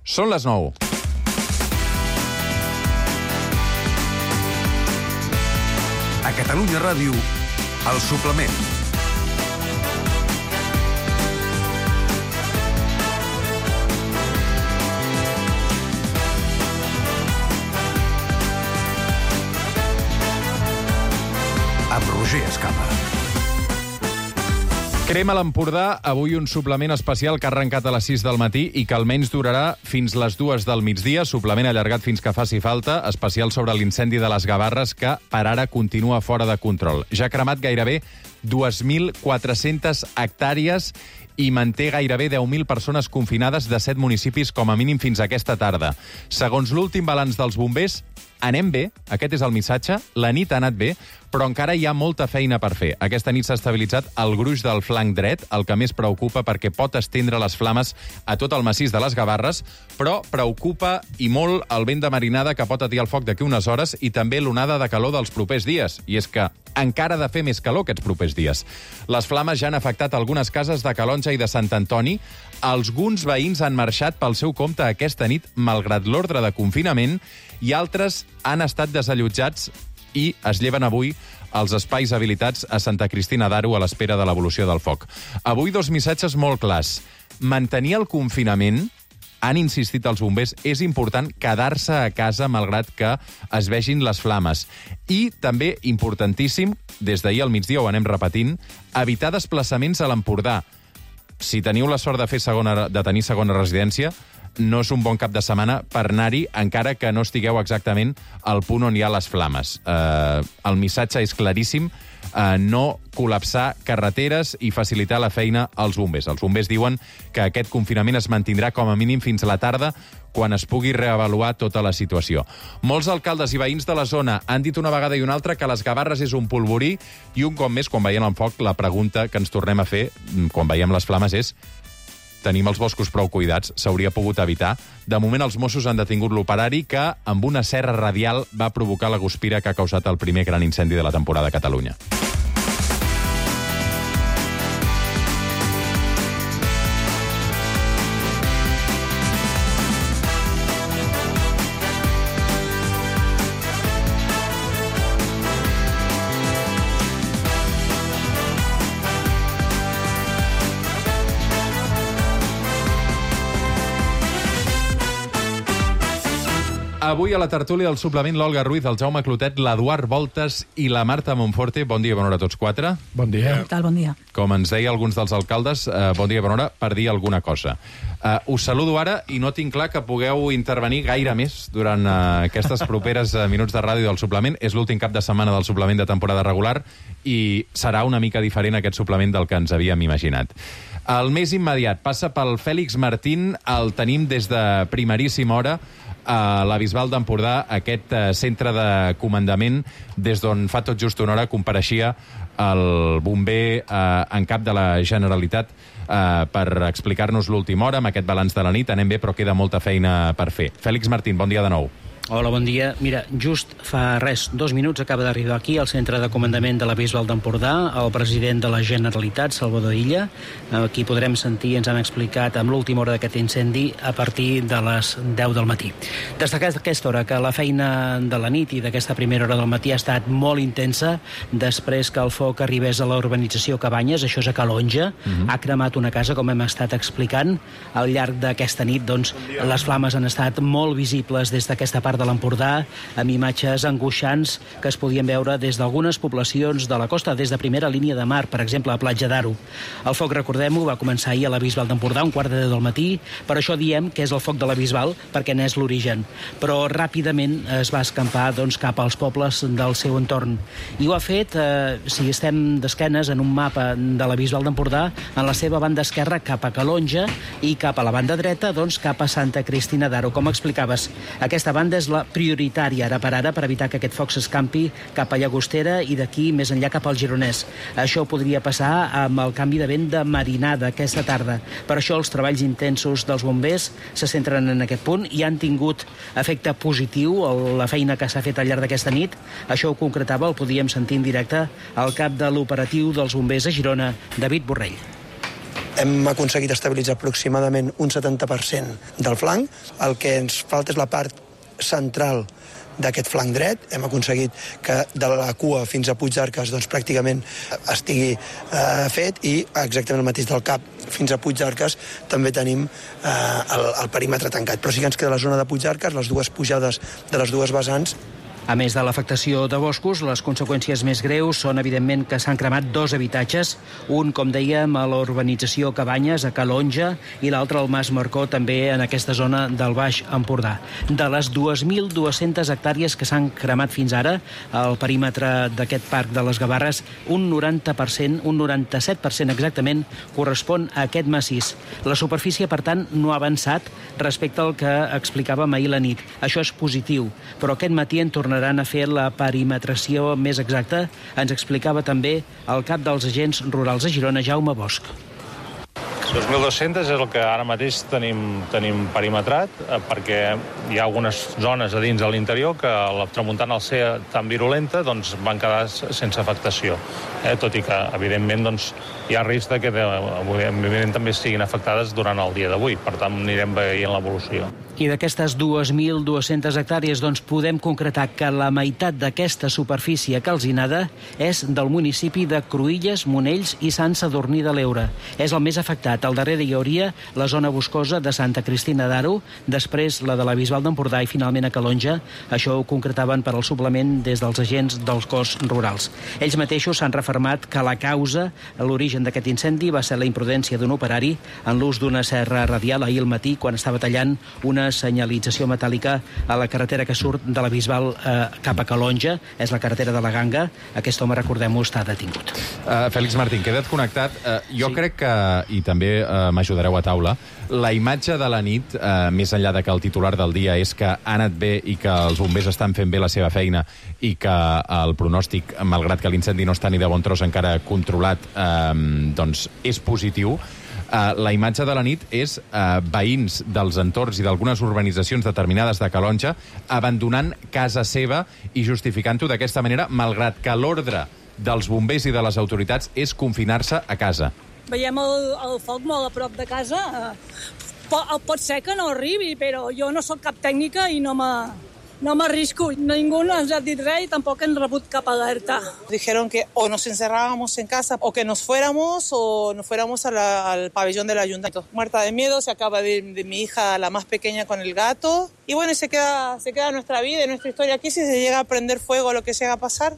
Són les 9. A Catalunya Ràdio, El Suplement. Amb Roger Escapa. Crema l'Empordà, avui un suplement especial que ha arrencat a les 6 del matí i que almenys durarà fins les 2 del migdia, suplement allargat fins que faci falta, especial sobre l'incendi de les Gavarres que per ara continua fora de control. Ja ha cremat gairebé 2.400 hectàrees i manté gairebé 10.000 persones confinades de 7 municipis com a mínim fins aquesta tarda. Segons l'últim balanç dels bombers, anem bé, aquest és el missatge, la nit ha anat bé, però encara hi ha molta feina per fer. Aquesta nit s'ha estabilitzat el gruix del flanc dret, el que més preocupa perquè pot estendre les flames a tot el massís de les Gavarres, però preocupa i molt el vent de marinada que pot atiar el foc d'aquí unes hores i també l'onada de calor dels propers dies. I és que encara ha de fer més calor aquests propers dies. Les flames ja han afectat algunes cases de Calonja i de Sant Antoni. Alguns veïns han marxat pel seu compte aquesta nit, malgrat l'ordre de confinament, i altres han estat desallotjats i es lleven avui als espais habilitats a Santa Cristina d'Aro a l'espera de l'evolució del foc. Avui dos missatges molt clars. Mantenir el confinament, han insistit els bombers, és important quedar-se a casa malgrat que es vegin les flames. I també, importantíssim, des d'ahir al migdia ho anem repetint, evitar desplaçaments a l'Empordà. Si teniu la sort de tenir segona residència, no és un bon cap de setmana per anar-hi, encara que no estigueu exactament al punt on hi ha les flames. El missatge és claríssim, no col·lapsar carreteres i facilitar la feina als bombers. Els bombers diuen que aquest confinament es mantindrà com a mínim fins a la tarda, quan es pugui reavaluar tota la situació. Molts alcaldes i veïns de la zona han dit una vegada i una altra que les Gavarres és un polvorí i un cop més, quan veiem el foc, la pregunta que ens tornem a fer quan veiem les flames és: tenim els boscos prou cuidats? S'hauria pogut evitar? De moment, els Mossos han detingut l'operari que, amb una serra radial, va provocar la guspira que ha causat el primer gran incendi de la temporada a Catalunya. Avui a la tertúlia del suplement l'Olga Ruiz, el Jaume Clotet, l'Eduard Voltes i la Marta Monforte. Bon dia i bona hora a tots quatre. Bon dia. Què tal, bon dia. Com ens deia alguns dels alcaldes, bon dia i bona hora per dir alguna cosa. Us saludo ara i no tinc clar que pugueu intervenir gaire més durant aquestes properes minuts de ràdio del suplement. És l'últim cap de setmana del suplement de temporada regular i serà una mica diferent aquest suplement del que ens havíem imaginat. El més immediat passa pel Fèlix Martín, el tenim des de primeríssima hora a la Bisbal d'Empordà, aquest centre de comandament des d'on fa tot just una hora compareixia el bomber en cap de la Generalitat per explicar-nos l'última hora amb aquest balanç de la nit. Anem bé, però queda molta feina per fer. Fèlix Martín, bon dia de nou. Hola, bon dia. Mira, just fa 2 minuts acaba d'arribar aquí al centre de comandament de la Bisbal d'Empordà el president de la Generalitat, Salvador Illa. Aquí podrem sentir, ens han explicat amb l'última hora d'aquest incendi a partir de les 10 del matí. Destacar aquesta hora que la feina de la nit i d'aquesta primera hora del matí ha estat molt intensa després que el foc arribés a la urbanització Cabanyes, això és a Calonja. Ha cremat una casa, com hem estat explicant. Al llarg d'aquesta nit, doncs, les flames han estat molt visibles des d'aquesta part de l'Empordà, amb imatges angoixants que es podien veure des d'algunes poblacions de la costa, des de primera línia de mar, per exemple, a Platja d'Aro. El foc, recordem-ho, va començar ahir a la Bisbal d'Empordà, 1:15 del matí, per això diem que és el foc de la Bisbal, perquè n'és l'origen. Però ràpidament es va escampar doncs, cap als pobles del seu entorn. I ho ha fet, si estem d'esquenes en un mapa de la Bisbal d'Empordà, en la seva banda esquerra cap a Calonja i cap a la banda dreta, doncs, cap a Santa Cristina d'Aro. Com explicaves, aquesta banda és la prioritària ara per evitar que aquest foc s'escampi cap a Llagostera i d'aquí més enllà cap al Gironès. Això podria passar amb el canvi de vent de marinada aquesta tarda. Per això els treballs intensos dels bombers se centren en aquest punt i han tingut efecte positiu la feina que s'ha fet al llarg d'aquesta nit. Això ho concretava, el podíem sentir en directe, el cap de l'operatiu dels bombers a Girona, David Borrell. Hem aconseguit estabilitzar aproximadament un 70% del flanc. El que ens falta és la part central d'aquest flanc dret. Hem aconseguit que de la cua fins a Puigdarques doncs, pràcticament estigui fet, i exactament el mateix del cap fins a Puigdarques també tenim el perímetre tancat. Però sí que ens queda la zona de Puigdarques, les dues pujades de les dues vessants. A més de l'afectació de boscos, les conseqüències més greus són, evidentment, que s'han cremat 2 habitatges, un, com dèiem, a l'urbanització Cabanyes, a Calonja, i l'altre al Mas Marcó, també en aquesta zona del Baix Empordà. De les 2.200 hectàrees que s'han cremat fins ara, al perímetre d'aquest parc de les Gavarres, un 90%, un 97% exactament, correspon a aquest massís. La superfície, per tant, no ha avançat respecte al que explicàvem ahir la nit. Això és positiu, però aquest matí en tornaran a fer la perimetració més exacta. Ens explicava també el cap dels agents rurals a Girona, Jaume Bosch. 2.200 és el que ara mateix tenim perimetrat, perquè hi ha algunes zones a dins de l'interior que la tramuntana, al ser tan virulenta, doncs van quedar sense afectació. Tot i que, evidentment, doncs, hi ha risc que també siguin afectades durant el dia d'avui. Per tant, anirem veient l'evolució. I d'aquestes 2.200 hectàrees, doncs, podem concretar que la meitat d'aquesta superfície calcinada és del municipi de Cruïlles, Monells i Sant Sadurní de l'Eure. És el més afectat. Al darrere hi hauria la zona boscosa de Santa Cristina d'Aro, després la de la Bisbal d'Empordà i finalment a Calonja. Això ho concretaven per al suplement des dels agents dels cos rurals. Ells mateixos s'han refermat que la causa, l'origen d'aquest incendi, va ser la imprudència d'un operari en l'ús d'una serra radial ahir al matí quan estava tallant una senyalització metàl·lica a la carretera que surt de la Bisbal cap a Calonja. És la carretera de la Ganga. Aquest home, recordem-ho, està detingut. Fèlix Martín, queda't connectat. Jo crec que, i també m'ajudareu a taula, la imatge de la nit, més enllà de que el titular del dia és que ha anat bé i que els bombers estan fent bé la seva feina i que el pronòstic, malgrat que l'incendi no està ni de bon tros encara controlat, doncs és positiu. La imatge de la nit és veïns dels entorns i d'algunes urbanitzacions determinades de Calonja abandonant casa seva i justificant-ho d'aquesta manera, malgrat que l'ordre dels bombers i de les autoritats és confinar-se a casa. Veiem el foc molt a prop de casa. Pot ser que no arribi, però jo no sóc cap tècnica i no m'arrisco. Ningú no ens ha dit res i tampoc hem rebut cap alerta. Dijeron que o nos encerrábamos en casa o que nos fuéramos al pabellón del ayuntamiento. Muerta de miedo, se acaba de mi hija, la más pequeña, con el gato. Y bueno, se queda nuestra vida y nuestra historia aquí si se llega a prender fuego o lo que llega a pasar.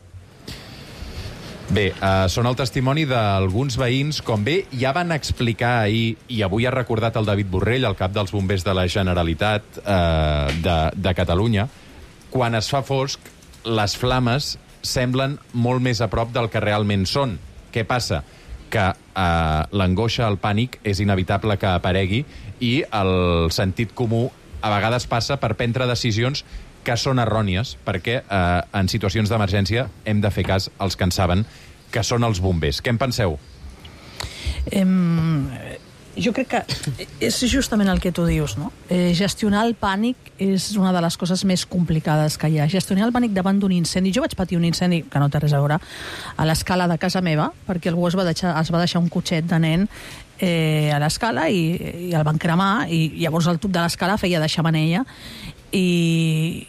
Bé, són el testimoni d'alguns veïns, com bé ja van explicar ahir, i avui ha recordat el David Borrell, el cap dels bombers de la Generalitat de Catalunya. Quan es fa fosc, les flames semblen molt més a prop del que realment són. Què passa? Que l'angoixa, el pànic, és inevitable que aparegui i el sentit comú a vegades passa per prendre decisions que són errònies, perquè en situacions d'emergència hem de fer cas als que en saben, que són els bombers. Què en penseu? Jo crec que és justament el que tu dius, no? Gestionar el pànic és una de les coses més complicades que hi ha. Gestionar el pànic davant d'un incendi. Jo vaig patir un incendi, que no té res a veure, a l'escala de casa meva, perquè algú es va deixar un cotxet de nen a l'escala i el van cremar, i llavors el tub de l'escala feia de xemeneia i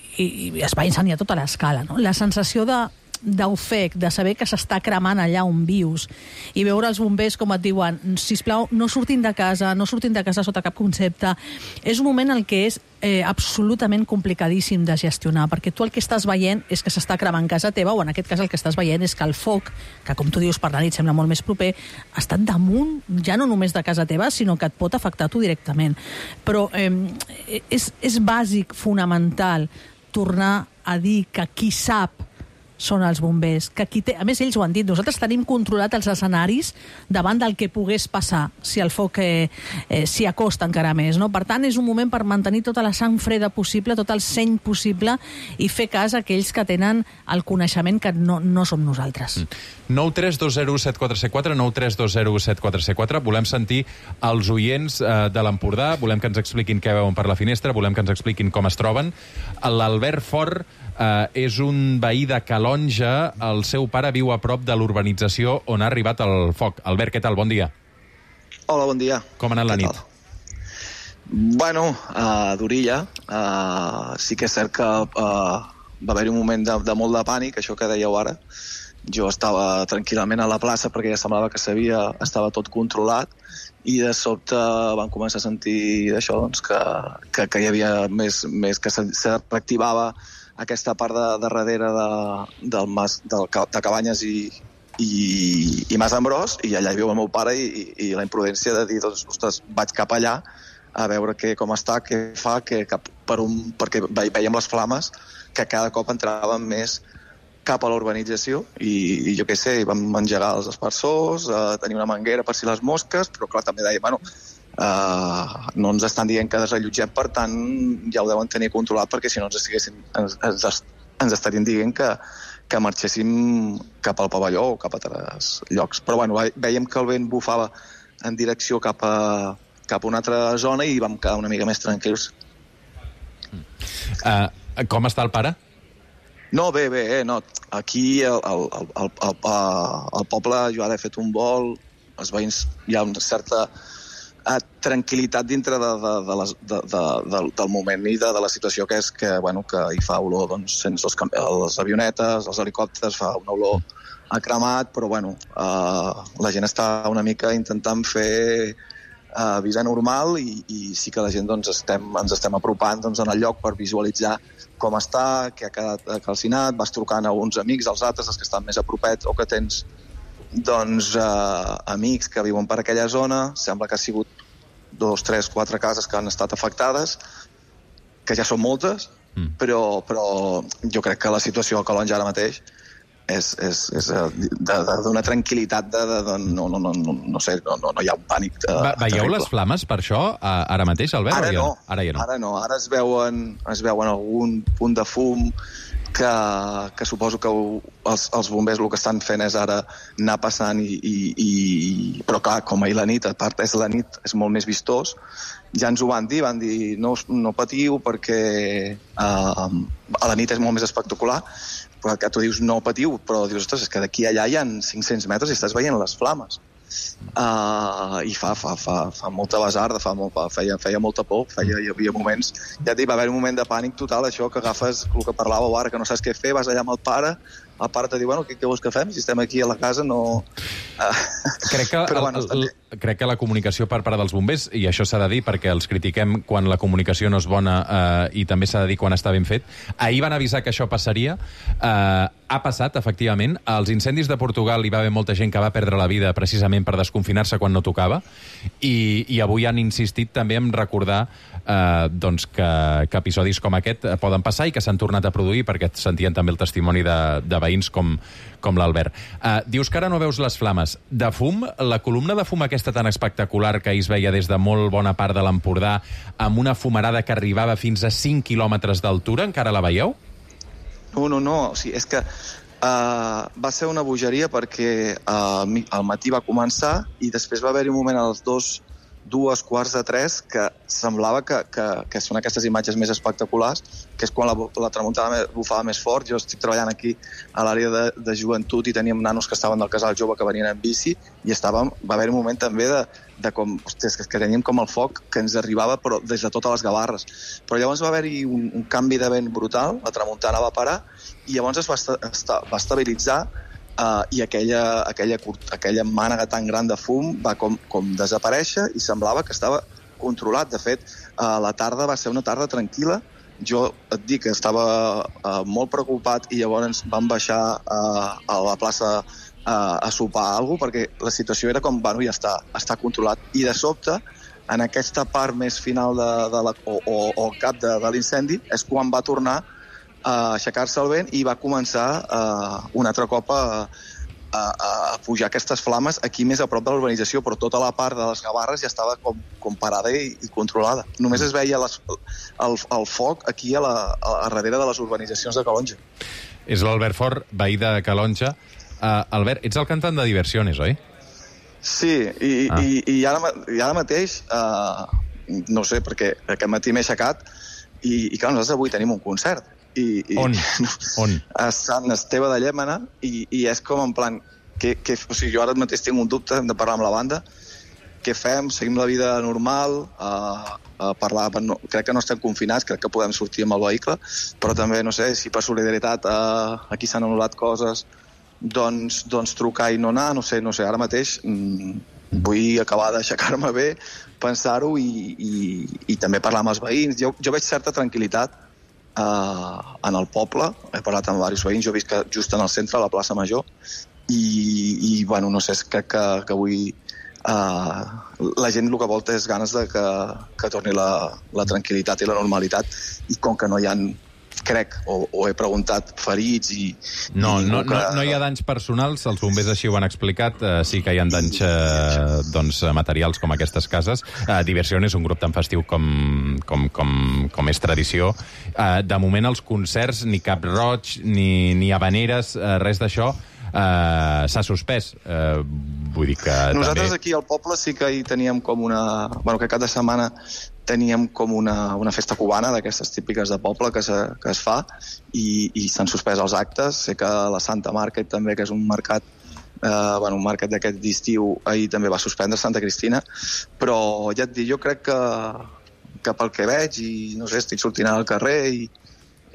es va incendiar tota l'escala, no? La sensació d'ofec, de saber que s'està cremant allà on vius i veure els bombers com et diuen sisplau, no surtin de casa sota cap concepte, és un moment en què és absolutament complicadíssim de gestionar, perquè tu el que estàs veient és que s'està cremant casa teva, o en aquest cas el que estàs veient és que el foc, que com tu dius per la nit sembla molt més proper, ha estat damunt ja no només de casa teva, sinó que et pot afectar tu directament. Però és bàsic, fonamental, tornar a dir que qui sap són els bombers, que qui té... A més, ells ho han dit, nosaltres tenim controlat els escenaris davant del que pogués passar si el foc s'hi acosta encara més, no? Per tant, és un moment per mantenir tota la sang freda possible, tot el seny possible i fer cas a aquells que tenen el coneixement que no som nosaltres. 932017474, 932017474. Volem sentir els oients de l'Empordà, volem que ens expliquin què veuen per la finestra, volem que ens expliquin com es troben. L'Albert Fort és un veí de Calonja, el seu pare viu a prop de l'urbanització on ha arribat el foc. Albert, què tal? Bon dia. Hola, bon dia. Com ha anat la nit? Bueno, d'orilla. Sí que és cert que va haver-hi un moment de molt de pànic, això que dèieu ara. Jo estava tranquil·lament a la plaça perquè ja semblava que estava tot controlat, i de sobte vam començar a sentir això, doncs, que hi havia més que se reactivava aquesta part de darrere del mas de Cabanyes i Mas Ambròs, i allà hi viu el meu pare, i la imprudència de dir, doncs, ostres, vaig cap allà a veure com està, què fa, perquè veiem les flames que cada cop entraven més cap a la urbanització, i jo què sé, vam engegar els aspersors, tenir una manguera per si les mosques, però clar, també deia, bueno, no ens estan dient que desallotgem, per tant ja ho deuen tenir controlat, perquè si no ens estarien dient que marxéssim cap al pavelló o cap a altres llocs. Però bueno, veiem que el vent bufava en direcció cap a una altra zona i vam quedar una mica més tranquils. Com està el pare? No, bé, no. Aquí al poble jo ara he fet un vol, els veïns hi ha una certa tranquil·litat dintre del moment i de la situació que és que hi fa olor, doncs, sense les avionetes, els helicòpters, fa una olor a cremat, però la gent està una mica intentant fer vida normal, i sí que la gent ens estem apropant en el lloc per visualitzar com està, què ha quedat calcinat, vas trucant a uns amics, als altres, els que estan més a propet, o que tens amics que viuen per aquella zona. Sembla que ha sigut 2, 3, 4 cases que han estat afectades, que ja són moltes, però jo crec que la situació a Calonge ara mateix és d'una tranquil·litat no sé, no hi ha un pànic. Veieu les flames per això ara mateix, Albert? Ara no. Ara no. Ara es veuen algun punt de fum que suposo que els bombers el que estan fent és ara anar passant, però clar, com ahir la nit, a part és la nit, és molt més vistós. Ja ens ho van dir no patiu perquè a la nit és molt més espectacular, però que tu dius no patiu, però dius, ostres, és que d'aquí allà hi ha 500 metres i estàs veient les flames. I fa molta basarda, feia molta por, hi havia moments, ja et dic, va haver un moment de pànic total, això que agafes el que parlàveu ara, que no saps què fer, vas allà amb el pare te diu, què vols que fem? Si estem aquí a la casa, no... Crec que la comunicació per part dels bombers, i això s'ha de dir perquè els critiquem quan la comunicació no és bona, i també s'ha de dir quan està ben fet, ahir van avisar que això passaria, ha passat, efectivament. Als incendis de Portugal hi va haver molta gent que va perdre la vida precisament per desconfinar-se quan no tocava, i avui han insistit també en recordar que episodis com aquest poden passar i que s'han tornat a produir, perquè sentien també el testimoni de veïns com l'Albert. Dius que ara no veus les flames. De fum, la columna de fum aquesta tan espectacular que ahir es veia des de molt bona part de l'Empordà, amb una fumarada que arribava fins a 5 quilòmetres d'altura, encara la veieu? No. O sigui, és que va ser una bogeria perquè al matí va començar i després va haver-hi un moment a les 2:45 que semblava que són aquestes imatges més espectaculars, que és quan la tramuntana bufava més fort. Jo estic treballant aquí a l'àrea de joventut i teníem nanos que estaven del casal jove que venien en bici i va haver un moment també de com, ostres, que teníem com el foc que ens arribava però des de totes les Gavarres. Però llavors va haver-hi un canvi de vent brutal, la tramuntana va parar i llavors es va estabilitzar, i aquella mànega tan gran de fum va com desaparèixer i semblava que estava controlat. De fet, la tarda va ser una tarda tranquil·la. Jo et dic que estava molt preocupat i llavors vam baixar a la plaça a sopar alguna cosa, perquè la situació era com, ja està controlat. I de sobte, en aquesta part més final o el cap de l'incendi, és quan va tornar a aixecar-se el vent i va començar un altre cop a pujar aquestes flames aquí més a prop de la urbanització, però tota la part de les Gavarres ja estava com parada i controlada. Només es veia el foc aquí a darrere de les urbanitzacions de Calonge. És l'Albert Fort, veí de Calonge. Albert, ets el cantant de Diversiones, oi? Sí, i ara mateix, no sé, perquè aquest matí m'he aixecat i clar, nosaltres avui tenim un concert. On? A Sant Esteve de Llémena, i és com en plan o sigui, jo ara mateix tinc un dubte, hem de parlar amb la banda, què fem, seguim la vida normal, a parlar, crec que no estem confinats, crec que podem sortir amb el vehicle, però també, no sé, si per solidaritat aquí s'han anul·lat coses, doncs trucar i no anar, no sé, ara mateix vull acabar d'aixecar-me bé, pensar-ho i també parlar amb els veïns. Jo veig certa tranquil·litat en el poble, he parlat amb diversos veïns, jo he vist que just en el centre, a la plaça Major, i bueno, no sé, crec que avui la gent el que vol és ganes de que torni la tranquil·litat i la normalitat, i com que no hi ha, crec, o he preguntat, ferits i... No hi ha danys personals, els bombers així ho han explicat, sí que hi ha danys materials com aquestes cases. Diversió és un grup tan festiu com és tradició. De moment els concerts, ni Cap Roig, ni Havaneres, res d'això, s'ha suspès. Vull dir que nosaltres també... aquí al poble sí que hi teníem com una... Bueno, que cada setmana teníem com una festa cubana d'aquestes típiques de poble que es fa i s'han suspès els actes. Sé que la Santa Market també, que és un mercat un mercat d'aquest d'estiu, ahir també va suspendre Santa Cristina, però ja et dic, jo crec que pel que veig, i no sé, estic sortint al carrer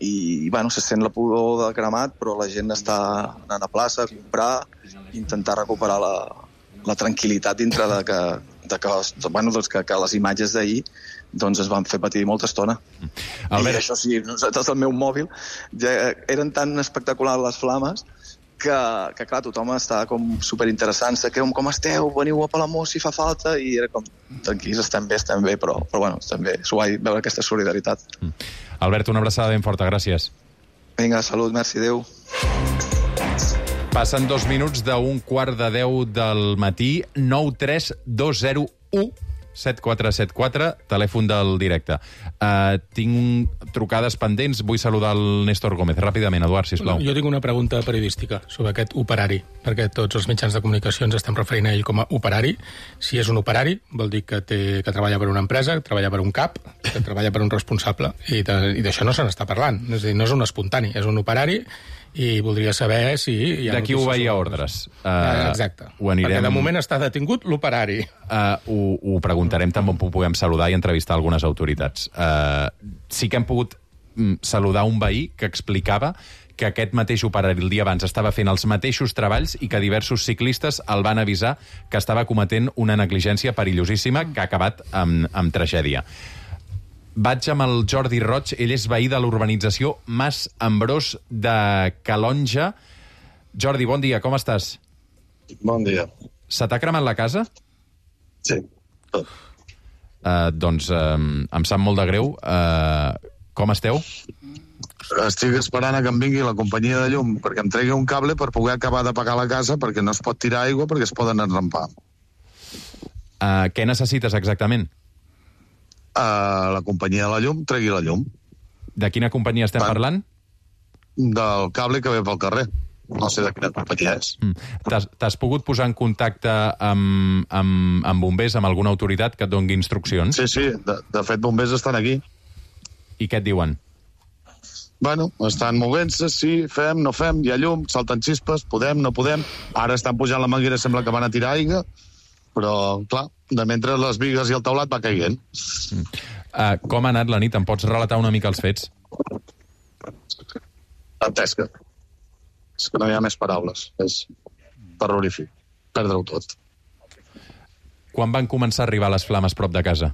i bueno, se sent la pudor de cremat, però la gent està anant a plaça a comprar, intentar recuperar la tranquil·litat dintre de que les imatges d'ahir doncs es van fer patir molta estona. Albert. I això sí, nosaltres al meu mòbil eren tan espectaculars les flames que clar, tothom està com superinteressant, com esteu, veniu a Palamós si fa falta, i era com, tranquils, estem bé, però bueno, estem bé, és guai veure aquesta solidaritat. Albert, una abraçada ben forta, gràcies. Vinga, salut, merci, adéu. Passen 2 minuts d'un 9:45 del matí, 93201 7474, telèfon del directe. Tinc trucades pendents, vull saludar el Néstor Gómez. Ràpidament, Eduard, sisplau. Jo tinc una pregunta periodística sobre aquest operari, perquè tots els mitjans de comunicació ens estem referint a ell com a operari. Si és un operari, vol dir que treballa per una empresa, que treballa per un cap, que treballa per un responsable, i d'això no se n'està parlant. És a dir, no és un espontani, és un operari, i voldria saber si... De qui obeïa ordres. Exacte. Perquè de moment està detingut l'operari. Ho preguntarem també on puguem saludar i entrevistar algunes autoritats. Sí que hem pogut saludar un veí que explicava que aquest mateix operari el dia abans estava fent els mateixos treballs i que diversos ciclistes el van avisar que estava cometent una negligència perillosíssima que ha acabat amb tragèdia. Vaig amb el Jordi Roig, ell és veí de l'urbanització Mas Ambrós de Calonja. Jordi, bon dia, com estàs? Bon dia. Se t'ha cremat la casa? Sí, tot. Doncs em sap molt de greu. Com esteu? Estic esperant que em vingui la companyia de llum perquè em tregui un cable per poder acabar de pagar la casa, perquè no es pot tirar aigua perquè es poden enrampar. Què necessites exactament? La companyia de la llum tregui la llum. De quina companyia estem parlant? Del cable que ve pel carrer. No sé de quina companyia és. T'has pogut posar en contacte amb bombers, amb alguna autoritat que et doni instruccions? Sí. De fet, bombers estan aquí. I què et diuen? Bueno, estan movent-se, sí, fem, no fem, hi ha llum, salten xispes, podem, no podem. Ara estan pujant la manguera, sembla que van a tirar aigua, però, clar, de mentre les bigues i el teulat va caient. Com ha anat la nit? Em pots relatar una mica els fets? Dantesca. És que no hi ha més paraules. És terrorífic. Perdre-ho tot. Quan van començar a arribar les flames prop de casa?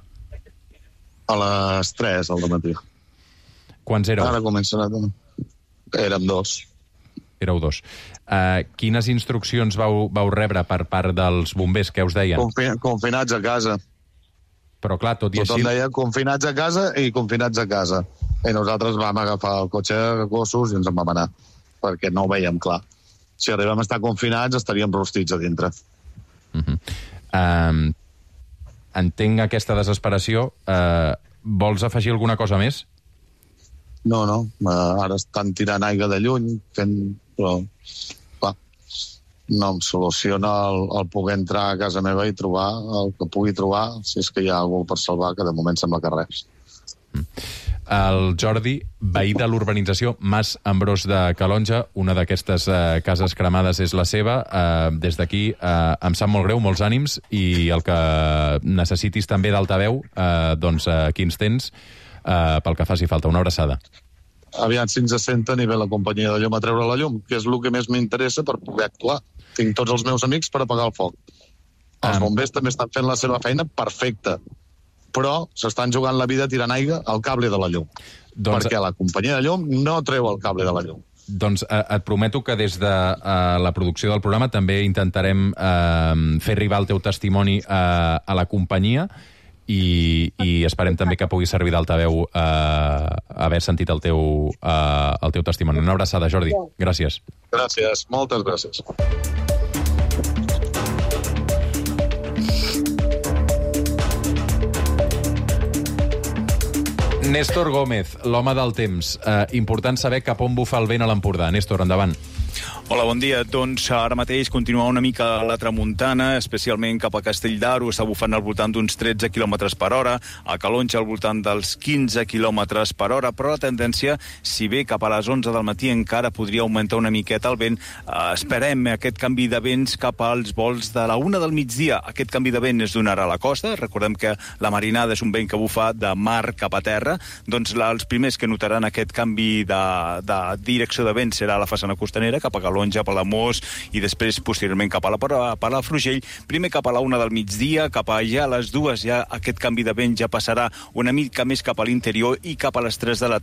A les 3 del matí. Quants éreu? Ara comencen a... Érem 2. Éreu 2. Quines instruccions vau rebre per part dels bombers? Què us deien? Confinats a casa. Però clar, tot i així... Tothom deia confinats a casa i confinats a casa. I nosaltres vam agafar el cotxe de gossos i ens en vam anar, perquè no ho veiem clar. Si arribem a estar confinats estaríem rostits a dintre. Entenc aquesta desesperació. Vols afegir alguna cosa més? No. Ara estan tirant aigua de lluny, però clar, no em soluciona el poder entrar a casa meva i trobar el que pugui trobar, si és que hi ha algú per salvar, que de moment sembla que res. El Jordi, veí de l'urbanització Mas Ambrós de Calonja, una d'aquestes cases cremades és la seva. Des d'aquí em sap molt greu, molts ànims, i el que necessitis també d'altaveu, doncs aquí ens tens pel que faci falta. Una abraçada. Aviam si ens assenta a nivell la companyia de llum a treure la llum, que és el que més m'interessa per poder actuar. Tinc tots els meus amics per apagar el foc. Els bombers també estan fent la seva feina perfecta, però s'estan jugant la vida tirant aigua al cable de la llum. Perquè la companyia de llum no treu el cable de la llum. Doncs et prometo que des de la producció del programa també intentarem fer arribar el teu testimoni a la companyia i esperem també que pugui servir d'altaveu haver sentit el teu testimoni. Una abraçada, Jordi. Gràcies. Gràcies, moltes gràcies. Néstor Gómez, l'home del temps. Important saber cap on bufa el vent a l'Empordà. Néstor, endavant. Hola, bon dia. Doncs ara mateix continua una mica la tramuntana, especialment cap a Castell d'Aro, està bufant al voltant d'uns 13 km per hora, a Calonja al voltant dels 15 km per hora, però la tendència, si bé cap a les 11 del matí encara podria augmentar una miqueta el vent, esperem aquest canvi de vents cap als vols de la 1 del migdia. Aquest canvi de vent es donarà a la costa, recordem que la marinada és un vent que bufa de mar cap a terra, doncs els primers que notaran aquest canvi de direcció de vent serà la façana costanera, cap a Calonja, Palamós, i després posteriorment cap a la Palafrugell. Primer cap a la 1 del migdia, cap allà a les 2 ja aquest canvi de vent ja passarà una mica més cap a l'interior i cap a les 3 de la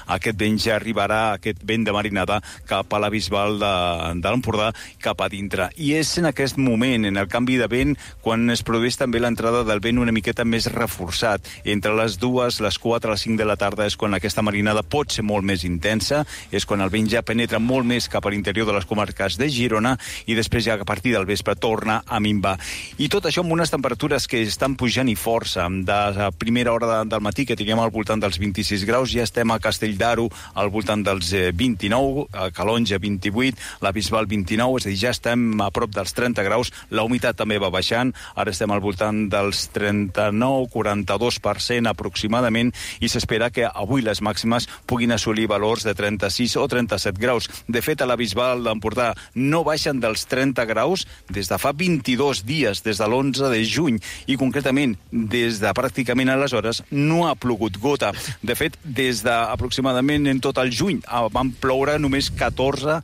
aquest vent ja arribarà, aquest vent de marinada, cap a la Bisbal de l'Empordà, cap a dintre. I és en aquest moment, en el canvi de vent, quan es produeix també l'entrada del vent una miqueta més reforçat. Entre les 2, les 4, les 5 de la tarda és quan aquesta marinada pot ser molt més intensa, és quan el vent ja penetra molt més cap a l'interior de les comarques de Girona i després ja a partir del vespre torna a minvar. I tot això amb unes temperatures que estan pujant i força. De la primera hora del matí, que teníem al voltant dels 26 graus, ja estem a Castell d'Aro al voltant dels 29, a Calonja 28, la Bisbal 29, és a dir, ja estem a prop dels 30 graus, la humitat també va baixant, ara estem al voltant dels 39-42% aproximadament, i s'espera que avui les màximes puguin assolir valors de 36 o 37 graus. De fet, a la Bisbal d'Empordà no baixen dels 30 graus des de fa 22 dies, des de l'11 de juny, i concretament des de pràcticament aleshores no ha plogut gota. De fet, des d'aproximadament en tot el juny van ploure només 14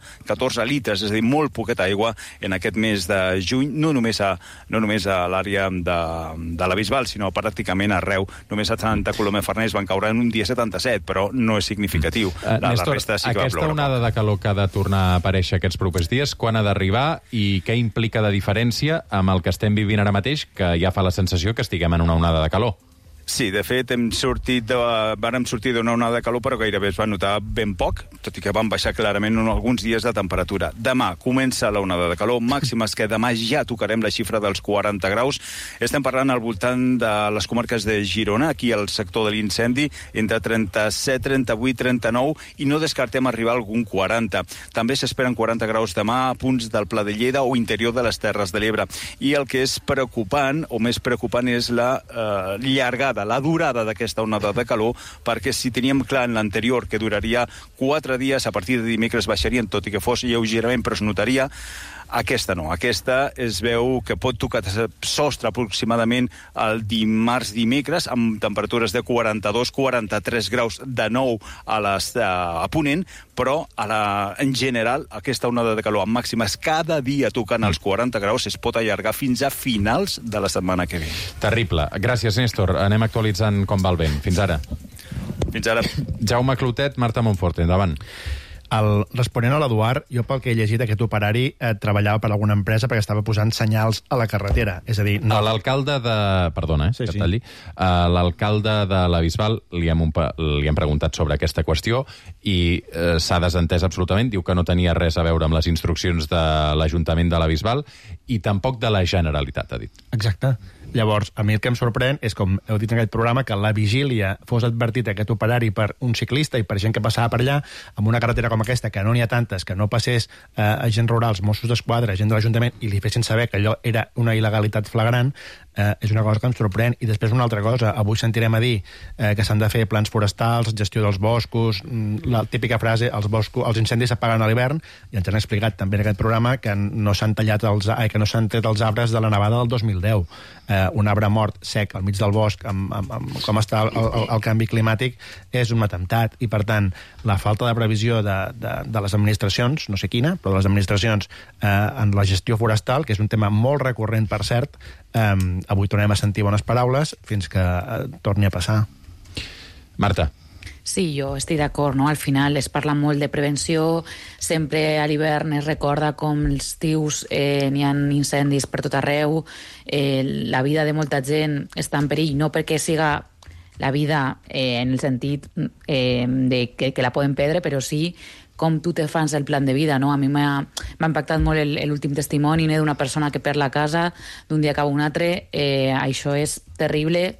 litres, és a dir, molt poqueta aigua en aquest mes de juny, no només a l'àrea de la Bisbal, sinó pràcticament arreu. Només a Santa Coloma de Farners van caure en un dia 77, però no és significatiu. Néstor, resta sí que aquesta onada de calor que ha de tornar a aparèixer aquests propers dies, quan ha d'arribar i què implica de diferència amb el que estem vivint ara mateix, que ja fa la sensació que estiguem en una onada de calor? Sí, de fet, vàrem sortir d'una onada de calor, però gairebé es va notar ben poc, tot i que van baixar clarament alguns dies de temperatura. Demà comença la onada de calor, màximes que demà ja tocarem la xifra dels 40 graus. Estem parlant al voltant de les comarques de Girona, aquí al sector de l'incendi, entre 37, 38, 39, i no descartem arribar a algun 40. També s'esperen 40 graus demà a punts del Pla de Lleida o interior de les Terres de l'Ebre. I el que és preocupant, o més preocupant, és la llargada, la durada d'aquesta onada de calor, perquè si teníem clar en l'anterior que duraria 4 dies, a partir de dimecres baixarien, tot i que fos lleugerament, però es notaria. Aquesta no, aquesta es veu que pot tocar sostre aproximadament el dimarts-dimecres amb temperatures de 42-43 graus de nou a Ponent, però en general aquesta onada de calor amb màximes cada dia tocant els 40 graus es pot allargar fins a finals de la setmana que ve. Terrible. Gràcies, Néstor. Anem actualitzant com va el vent. Fins ara. Fins ara. Jaume Clotet, Marta Monforte, endavant. Responent a l'Eduard, jo pel que he llegit, aquest operari treballava per alguna empresa perquè estava posant senyals a la carretera. És a dir, no... L'alcalde de... Perdona, que et talli. L'alcalde de la Bisbal li hem preguntat sobre aquesta qüestió i s'ha desentès absolutament. Diu que no tenia res a veure amb les instruccions de l'Ajuntament de la Bisbal i tampoc de la Generalitat, ha dit. Exacte. Llavors, a mi el que em sorprèn és, com heu dit en aquest programa, que la vigília fos advertit aquest operari per un ciclista i per gent que passava per allà, amb una carretera com aquesta, que no n'hi ha tantes, que no passés agents rurals, Mossos d'Esquadra, gent de l'Ajuntament, i li fessin saber que allò era una il·legalitat flagrant, és una cosa que em sorprèn. I després una altra cosa, avui sentirem a dir que s'han de fer plans forestals, gestió dels boscos, la típica frase, els incendis s'apaguen a l'hivern, i ens han explicat també en aquest programa que no s'han tret els arbres de la nevada del 2010. Un arbre mort sec al mig del bosc, amb com està el canvi climàtic, és un atemptat. I, per tant, la falta de previsió de les administracions, no sé quina, però de les administracions en la gestió forestal, que és un tema molt recurrent, per cert, avui tornem a sentir bones paraules fins que torni a passar. Marta. Sí, jo estic d'acord, no? Al final es parla molt de prevenció, sempre a l'hivern es recorda com els estius n'hi ha incendis per tot arreu, la vida de molta gent està en perill, no perquè siga la vida en el sentit de que la poden perdre, però sí com tu te fas el plan de vida, no? A mi m'ha impactat molt l'últim testimoni d'una persona que perd la casa d'un dia cap a un altre. Això és terrible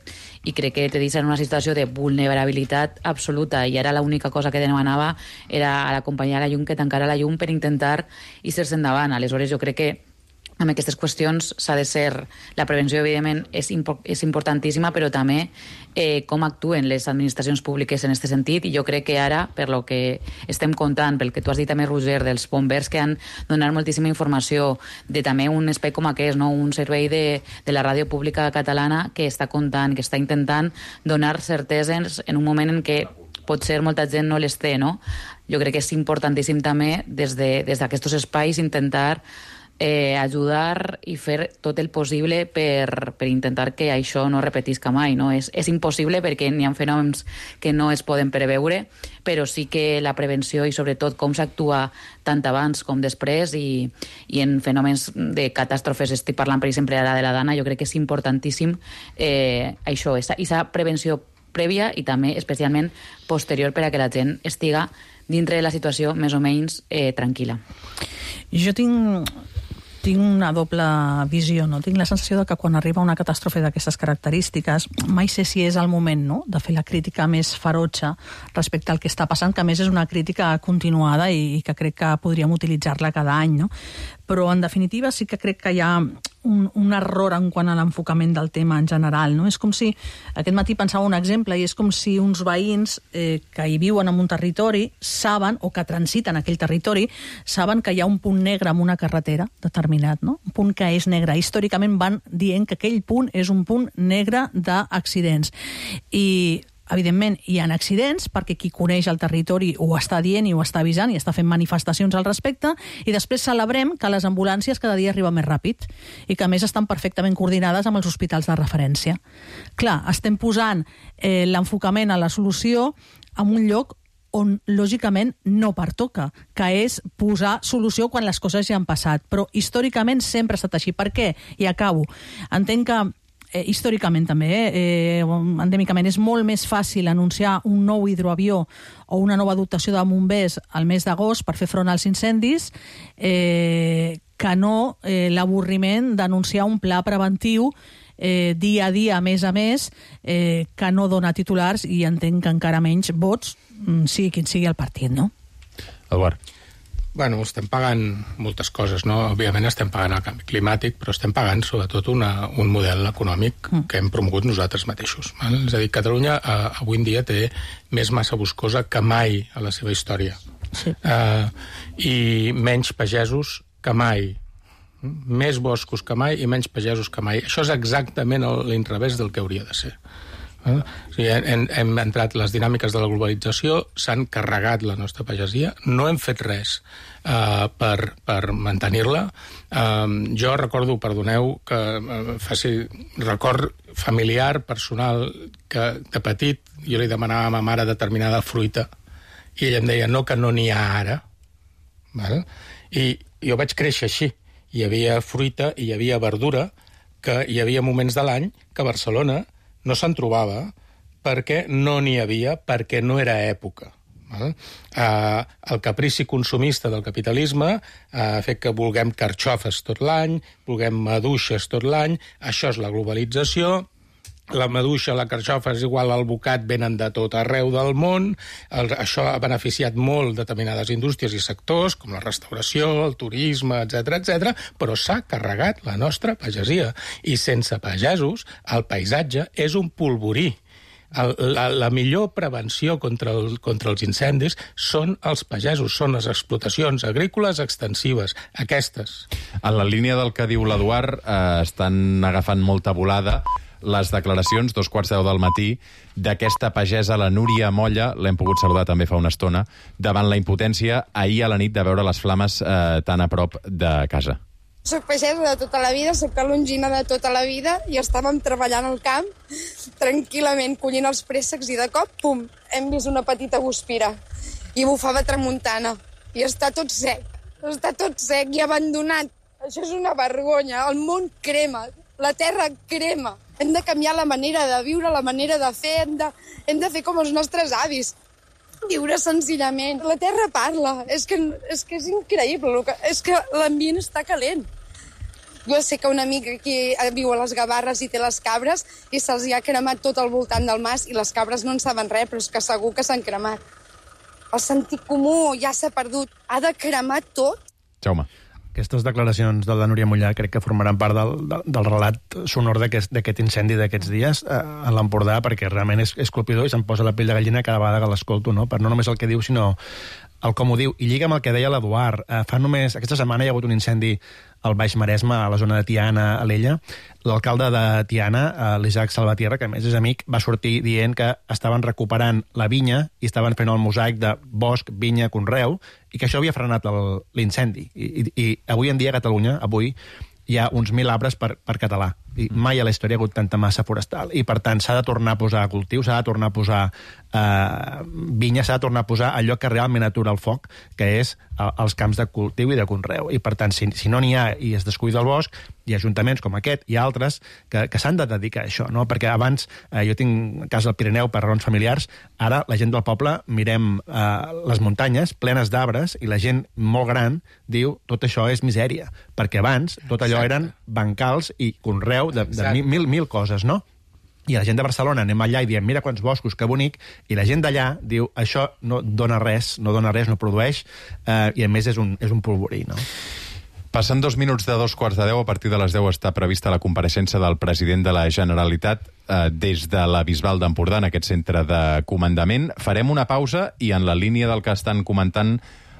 i crec que te deixa en una situació de vulnerabilitat absoluta, i ara l'única cosa que demanava era acompanyar la llum, que tancara la llum per intentar ir-se'n endavant. Aleshores, jo crec que amb aquestes qüestions s'ha de ser... La prevenció, evidentment, és importantíssima, però també com actuen les administracions públiques en aquest sentit, i jo crec que ara, per lo que estem comptant, pel que tu has dit també, Roger, dels bombers que han donat moltíssima informació, de també un espai com aquest, no? Un servei de la ràdio pública catalana que està comptant, que està intentant donar certeses en un moment en què potser molta gent no les té, no? Jo crec que és importantíssim també, des d'aquests espais, intentar ajudar i fer tot el possible per intentar que això no repetisca mai, no? És impossible perquè n'hi ha fenòmens que no es poden preveure, però sí que la prevenció i sobretot com s'actua tant abans com després i en fenòmens de catàstrofes, estic parlant per exemple ara de la Dana, jo crec que és importantíssim això, aquesta prevenció prèvia i també especialment posterior per a que la gent estiga dintre de la situació més o menys tranquil·la. Jo tinc una doble visió, no? Tinc la sensació de que quan arriba una catàstrofe d'aquestes característiques mai sé si és el moment, no?, de fer la crítica més ferotge respecte al que està passant, que a més és una crítica continuada i que crec que podríem utilitzar-la cada any, no? Però en definitiva sí que crec que hi ha un error en quant a l'enfocament del tema en general, no? És com si, aquest matí pensava un exemple, i és com si uns veïns que hi viuen en un territori saben, o que transiten aquell territori, saben que hi ha un punt negre en una carretera determinat, no? Un punt que és negre. Històricament van dient que aquell punt és un punt negre d'accidents. I evidentment, hi ha accidents perquè qui coneix el territori ho està dient i ho està avisant i està fent manifestacions al respecte, i després celebrem que les ambulàncies cada dia arriben més ràpid i que a més estan perfectament coordinades amb els hospitals de referència. Clar, estem posant l'enfocament a la solució en un lloc on lògicament no pertoca, que és posar solució quan les coses ja han passat. Però històricament sempre ha estat així. Per què? I acabo. Entenc que històricament també, endèmicament, és molt més fàcil anunciar un nou hidroavió o una nova dotació de bombers al mes d'agost per fer front als incendis que no l'avorriment d'anunciar un pla preventiu dia a dia, mes a mes, que no dona titulars i entenc que encara menys vots, sigui quin sigui el partit, no? Eduard. Bueno, estem pagant moltes coses, no? Òbviament estem pagant el canvi climàtic, però estem pagant sobretot un model econòmic que hem promogut nosaltres mateixos. Val? És a dir, Catalunya avui en dia té més massa boscosa que mai a la seva història. Sí. I menys pagesos que mai. Més boscos que mai i menys pagesos que mai. Això és exactament l'inrevés del que hauria de ser. O sigui, hem entrat les dinàmiques de la globalització, s'han carregat la nostra pagesia, no hem fet res per mantenir-la. Jo recordo, perdoneu, que faci record familiar, personal, que de petit jo li demanava a ma mare determinada fruita i ella em deia no, que no n'hi ha ara. Val? I jo vaig créixer així. Hi havia fruita i hi havia verdura, que hi havia moments de l'any que a Barcelona no se'n trobava perquè no n'hi havia, perquè no era època. El caprici consumista del capitalisme ha fet que vulguem carxofes tot l'any, vulguem maduixes tot l'any, això és la globalització. La maduixa, la carxofa és igual al bocat, venen de tot arreu del món. Això ha beneficiat molt determinades indústries i sectors, com la restauració, el turisme, etc, però s'ha carregat la nostra pagesia. I sense pagesos, el paisatge és un polvorí. La millor prevenció contra els incendis són els pagesos, són les explotacions agrícoles extensives, aquestes. En la línia del que diu l'Eduard, estan agafant molta volada les declaracions, 2:15 del matí, d'aquesta pagesa, la Núria Molla, l'hem pogut saludar també fa una estona, davant la impotència ahir a la nit de veure les flames tan a prop de casa. Soc pagesa de tota la vida, soc calongina de tota la vida i estàvem treballant al camp tranquil·lament, collint els préssecs i de cop, pum, hem vist una petita guspira i bufava tramuntana i està tot sec i abandonat. Això és una vergonya, el món crema, la terra crema. Hem de canviar la manera de viure, la manera de fer, hem de fer com els nostres avis. Viure senzillament. La terra parla. És que és increïble. És que l'ambient està calent. Jo sé que una amiga aquí viu a les Gavarres i té les cabres i se'ls ha cremat tot al voltant del mas i les cabres no en saben res, però és que segur que s'han cremat. El sentit comú ja s'ha perdut. Ha de cremar tot. Jaume. Aquestes declaracions de la Núria Mollà crec que formaran part del relat sonor d'aquest incendi d'aquests dies a l'Empordà, perquè realment és colpidor i se'm posa la pell de gallina cada vegada que l'escolto, no? Per no només el que diu, sinó el com ho diu. I lliga amb el que deia l'Eduard. Aquesta setmana hi ha hagut un incendi al Baix Maresme, a la zona de Tiana, a l'Ella. L'alcalde de Tiana, l'Isaac Salvatierra, que a més és amic, va sortir dient que estaven recuperant la vinya i estaven fent el mosaic de bosc, vinya, conreu, i que això havia frenat l'incendi. I avui en dia a Catalunya, avui, hi ha uns 1.000 arbres per català. I mai a la història ha hagut tanta massa forestal. I, per tant, s'ha de tornar a posar cultiu, s'ha de tornar a posar vinya, s'ha de tornar a posar allò que realment atura el foc, que és els camps de cultiu i de conreu. I, per tant, si no n'hi ha i es descuida el bosc, hi ha ajuntaments com aquest i altres que s'han de dedicar a això, no? Perquè abans, jo tinc casa al Pirineu per raons familiars, ara la gent del poble mirem les muntanyes plenes d'arbres i la gent molt gran diu tot això és misèria, perquè abans tot allò eren bancals i conreu de mil coses, no? I la gent de Barcelona anem allà i diem mira quants boscos, que bonic, i la gent d'allà diu això no dona res, no produeix, i a més és un polvorí, no? Passant 2 minuts de 2:15, a partir de les 10 està prevista la compareixença del president de la Generalitat des de la Bisbal d'Empordà, en aquest centre de comandament. Farem una pausa i en la línia del que estan comentant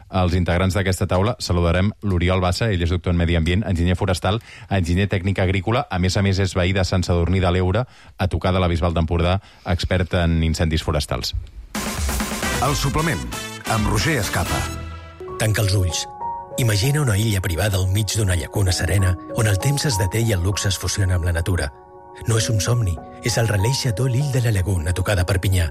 els integrants d'aquesta taula saludarem l'Oriol Bassa, ell és doctor en Medi Ambient, enginyer forestal, enginyer tècnic agrícola, a més és veí de Sant Sadurní de l'Eure, a tocar de la Bisbal d'Empordà, expert en incendis forestals. El suplement, amb Roger Escapa. Tanca els ulls. Imagina una illa privada al mig d'una llacuna serena on el temps es deté i el luxe es fusiona amb la natura. No és un somni, és el Relais Chateau L'Île de la Lagune, a tocar de Perpinyà.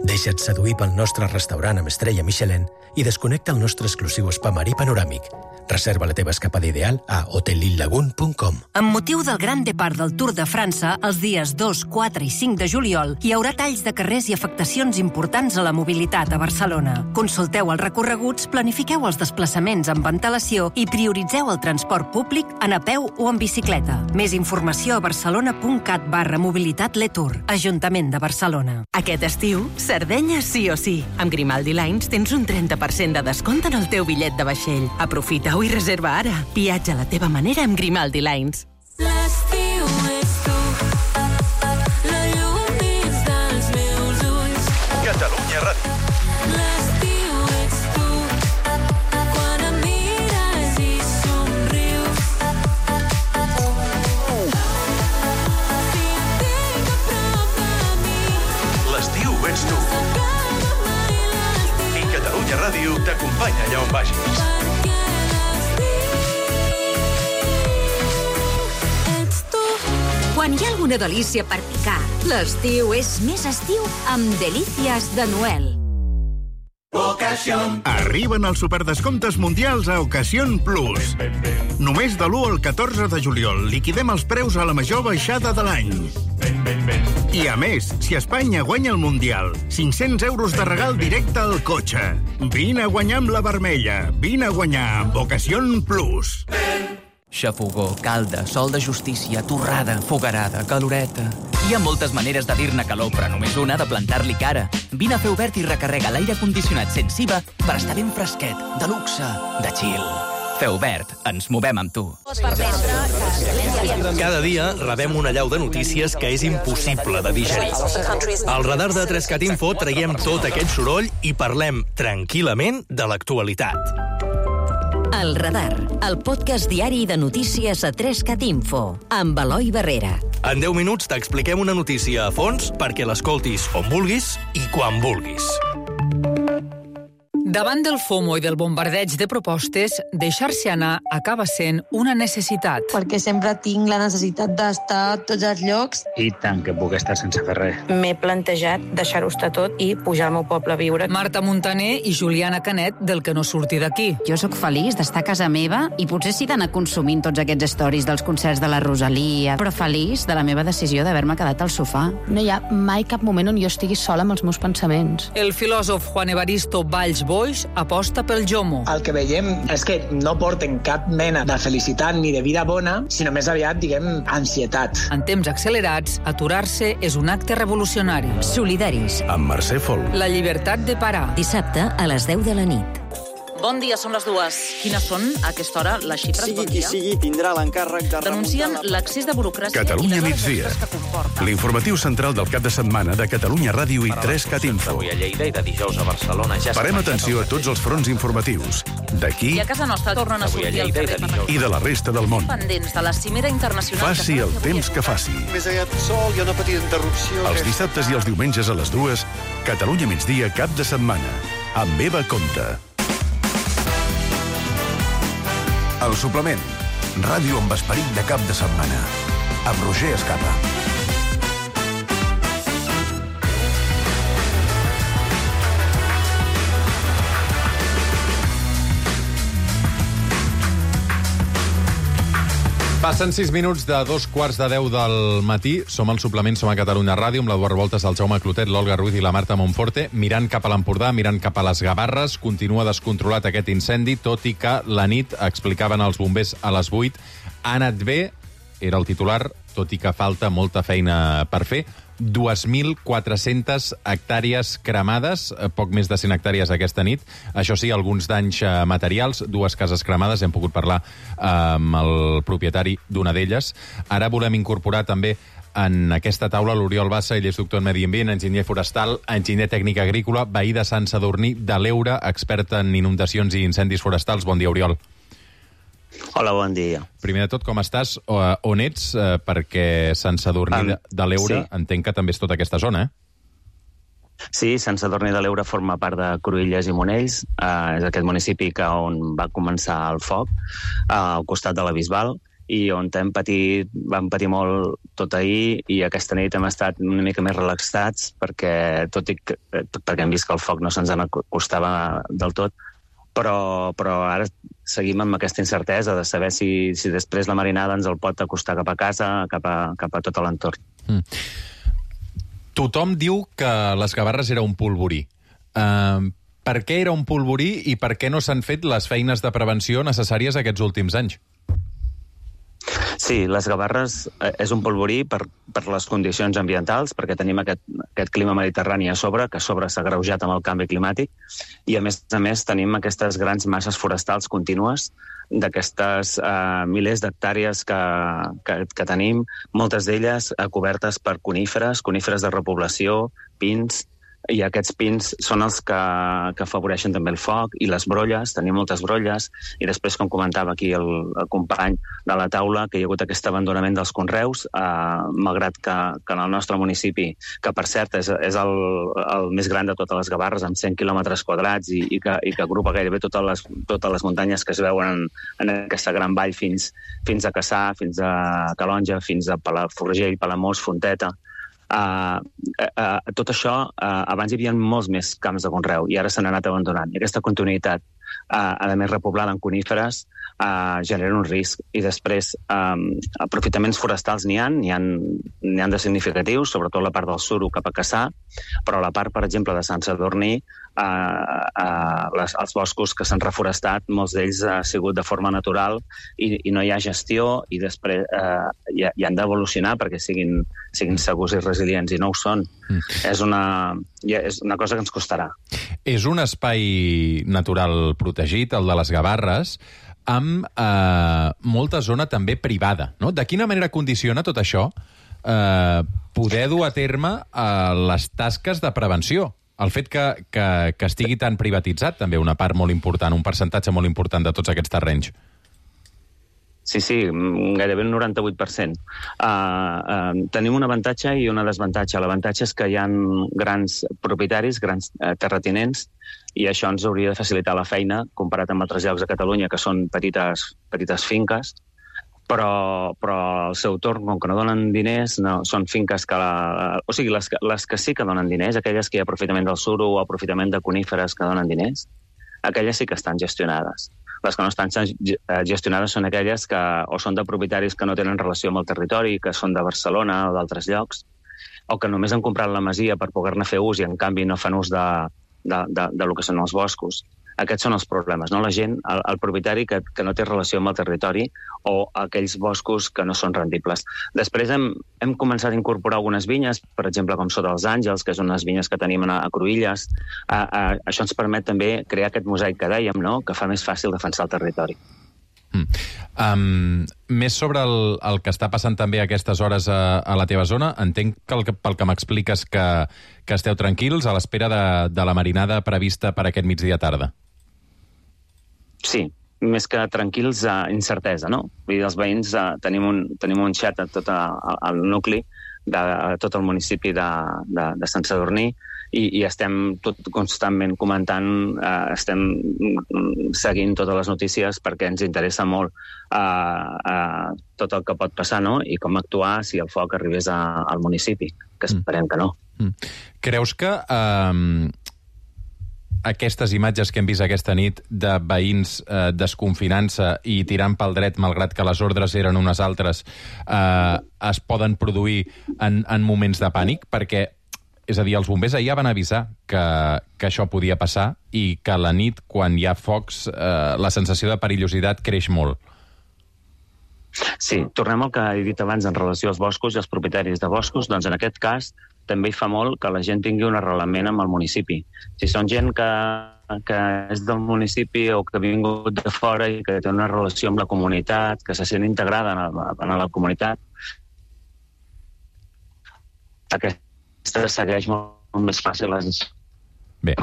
Deixa't seduir pel nostre restaurant amb estrella Michelin i desconnecta el nostre exclusiu spa marí panoràmic. Reserva la teva escapada ideal a hotellillagune.com. Amb motiu del Gran Depart del Tour de França, els dies 2, 4 i 5 de juliol, hi haurà talls de carrers i afectacions importants a la mobilitat a Barcelona. Consulteu els recorreguts, planifiqueu els desplaçaments amb antelació i prioritzeu el transport públic en a peu o en bicicleta. Més informació a barcelona.cat/mobilitat-letour. Ajuntament de Barcelona. Aquest estiu, Sardenya sí o sí. Amb Grimaldi Lines tens un 30% de descompte en el teu bitllet de vaixell. Aprofita i reserva ara. Viatja a la teva manera amb Grimaldi Lines. L'estiu ets tu, la llum dins dels meus ulls. Catalunya Ràdio. L'estiu ets tu, quan em mires i somrius. Si et tinc a prop de mi, L'estiu ets tu. I Catalunya Ràdio t'acompanya allà on vagis. Quan hi ha alguna delícia per picar, l'estiu és més estiu amb Delícies de Noel. Arriben els superdescomptes mundials a Ocasión Plus. Només de l'1 al 14 de juliol liquidem els preus a la major baixada de l'any. I a més, si Espanya guanya el Mundial, 500 euros de regal directe al cotxe. Vine a guanyar amb la vermella. Vine a guanyar amb Ocasión Plus. Xafogó, calda, sol de justícia, torrada, fogarada, caloreta... Hi ha moltes maneres de dir-ne calor, però només una de plantar-li cara. Vine a Fer Obert i recarrega l'aire condicionat sense IVA per estar ben fresquet, de luxe, de chill. Fer Obert, ens movem amb tu. Cada dia rebem una allau de notícies que és impossible de digerir. Al radar de 3CAT Info traiem tot aquest soroll i parlem tranquil·lament de l'actualitat. El Radar, el podcast diari de notícies a 3CAT Info, amb Eloi Barrera. En 10 minuts t'expliquem una notícia a fons perquè l'escoltis on vulguis i quan vulguis. Davant del FOMO i del bombardeig de propostes, deixar-se anar acaba sent una necessitat. Perquè sempre tinc la necessitat d'estar a tots els llocs. I tant que puc estar sense fer res. M'he plantejat deixar-ho estar tot i pujar al meu poble a viure. Marta Montaner i Juliana Canet, del que no surti d'aquí. Jo sóc feliç d'estar a casa meva i potser sí d'anar consumint tots aquests stories dels concerts de la Rosalia, però feliç de la meva decisió d'haver-me quedat al sofà. No hi ha mai cap moment on jo estigui sola amb els meus pensaments. El filòsof Juan Evaristo Valls Boix aposta pel Jomo. El que veiem és que no porten cap mena de felicitat ni de vida bona, sinó més aviat, diguem, ansietat. En temps accelerats, aturar-se és un acte revolucionari. Solidaris. Amb Mercè Fol. La llibertat de parar. Dissabte a les 10 de la nit. Bon dia, són les 2. Quines són, a aquesta hora, les xifres? Sigui qui sigui, tindrà l'encàrrec de denuncien l'accés de burocràcia... Catalunya migdia. L'informatiu central del cap de setmana de Catalunya Ràdio i 3CAT Info. Avui a Lleida i de dijous a Barcelona ja... Parem atenció a tots els fronts informatius. D'aquí... I a casa nostra tornen a sortir al carrer i de la resta del món. Pendents de la cimera internacional... Faci el temps que faci. Més aviat sol i una petita interrupció... Els dissabtes i els diumenges a les 2, Catalunya migdia cap de setmana. Amb Eva Comte. El suplement. Ràdio amb esperit de cap de setmana. Amb Roger Escapa. Passen 6 minuts de 2:15 del matí. Som al suplement, som a Catalunya Ràdio, amb l'Eduard Revoltes, el Jaume Clotet, l'Olga Ruiz i la Marta Monforte, mirant cap a l'Empordà, mirant cap a les Gavarres. Continua descontrolat aquest incendi, tot i que la nit, explicaven els bombers a les 8, ha anat bé, era el titular, tot i que falta molta feina per fer. 2.400 hectàrees cremades, poc més de 100 hectàrees aquesta nit. Això sí, alguns danys materials, 2 cases cremades, hem pogut parlar amb el propietari d'una d'elles. Ara volem incorporar també en aquesta taula l'Oriol Bassa, ell és doctor en Medi Ambient, enginyer forestal, enginyer tècnic agrícola, veí de Sant Sadurní de l'Eure, expert en inundacions i incendis forestals. Bon dia, Oriol. Hola, bon dia. Primer de tot, com estàs? On ets? Perquè Sant Sadurní de l'Eure, sí, entenc que també és tota aquesta zona, Sí, Sant Sadurní de l'Eure forma part de Cruïlles i Monells. És aquest municipi on va començar el foc, al costat de la Bisbal, i on vam patir molt tot ahir, i aquesta nit hem estat una mica més relaxats perquè hem vist que el foc no se'ns acostava del tot, però ara seguim amb aquesta incertesa de saber si després la marinada ens el pot acostar cap a casa, cap a tot l'entorn. Tothom diu que les Gavarres era un polvorí. Per què era un polvorí i per què no s'han fet les feines de prevenció necessàries aquests últims anys? Sí, les Gavarres és un polvorí per les condicions ambientals, perquè tenim aquest clima mediterrani a sobre, que a sobre s'ha agreujat amb el canvi climàtic, i a més tenim aquestes grans masses forestals contínues d'aquestes milers d'hectàrees que tenim, moltes d'elles cobertes per coníferes de repoblació, pins, i aquests pins són els que afavoreixen també el foc, i les brolles, tenim moltes brolles, i després, com comentava aquí el company de la taula, que hi ha hagut aquest abandonament dels conreus, malgrat que en el nostre municipi, que per cert és el més gran de totes les Gavarres, amb 100 quilòmetres quadrats, i que agrupa gairebé totes les muntanyes que es veuen en aquesta gran vall fins a Cassà, fins a Calonja, fins a Palafrugell, Palamós, Fonteta. Tot això, abans hi havia molts més camps de conreu i ara s'han anat abandonant. I aquesta continuïtat, a més repoblada en coníferes, genera un risc. I després, aprofitaments forestals n'hi ha de significatius, sobretot la part del suro cap a Cassà, però la part, per exemple, de Sant Sadurní, els boscos que s'han reforestat, molts d'ells ha sigut de forma natural i no hi ha gestió i després hi han d'evolucionar perquè siguin segurs i resilients i no ho són. És una cosa que ens costarà. És un espai natural protegit, el de les Gavarres, amb molta zona també privada, no? De quina manera condiciona tot això poder dur a terme les tasques de prevenció? El fet que estigui tan privatitzat, també una part molt important, un percentatge molt important de tots aquests terrenys. Sí, gairebé un 98%. Tenim un avantatge i un desavantatge. L'avantatge és que hi ha grans propietaris, grans terratinents, i això ens hauria de facilitar la feina, comparat amb altres llocs de Catalunya, que són petites finques, però al seu torn, com que no donen diners, són finques que... O sigui, les que sí que donen diners, aquelles que hi ha aprofitament del suro o aprofitament de coníferes que donen diners, aquelles sí que estan gestionades. Les que no estan gestionades són aquelles que o són de propietaris que no tenen relació amb el territori, que són de Barcelona o d'altres llocs, o que només han comprat la masia per poder-ne fer ús i, en canvi, no fan ús de lo que són els boscos. Aquests són els problemes, no? La gent, el propietari que no té relació amb el territori o aquells boscos que no són rendibles. Després hem començat a incorporar algunes vinyes, per exemple, com Sota els Àngels, que són unes vinyes que tenim a Cruïlles. Això ens permet també crear aquest mosaic que dèiem, no? Que fa més fàcil defensar el territori. Més sobre el que està passant també a aquestes hores a la teva zona, entenc que pel que m'expliques que esteu tranquils a l'espera de la marinada prevista per aquest migdia tarda. Sí, més que tranquils, incertesa, no? Vull dir, els veïns tenim un xat a tot el nucli, a tot el municipi de Sant Sadurní, i estem constantment comentant, estem seguint totes les notícies perquè ens interessa molt tot el que pot passar, no? I com actuar si el foc arribés al municipi, que esperem que no. Creus que aquestes imatges que hem vist aquesta nit de veïns desconfinant-se i tirant pel dret, malgrat que les ordres eren unes altres, es poden produir en moments de pànic? Perquè, és a dir, els bombers ahir van avisar que això podia passar i que a la nit, quan hi ha focs, la sensació de perillositat creix molt. Sí, tornem al que he dit abans en relació als boscos i als propietaris de boscos. Doncs en aquest cas també hi fa molt que la gent tingui un arrelament amb el municipi. Si són gent que és del municipi o que ha vingut de fora i que té una relació amb la comunitat, que se sent integrada en la comunitat, aquesta segueix molt més fàcil les... Bé,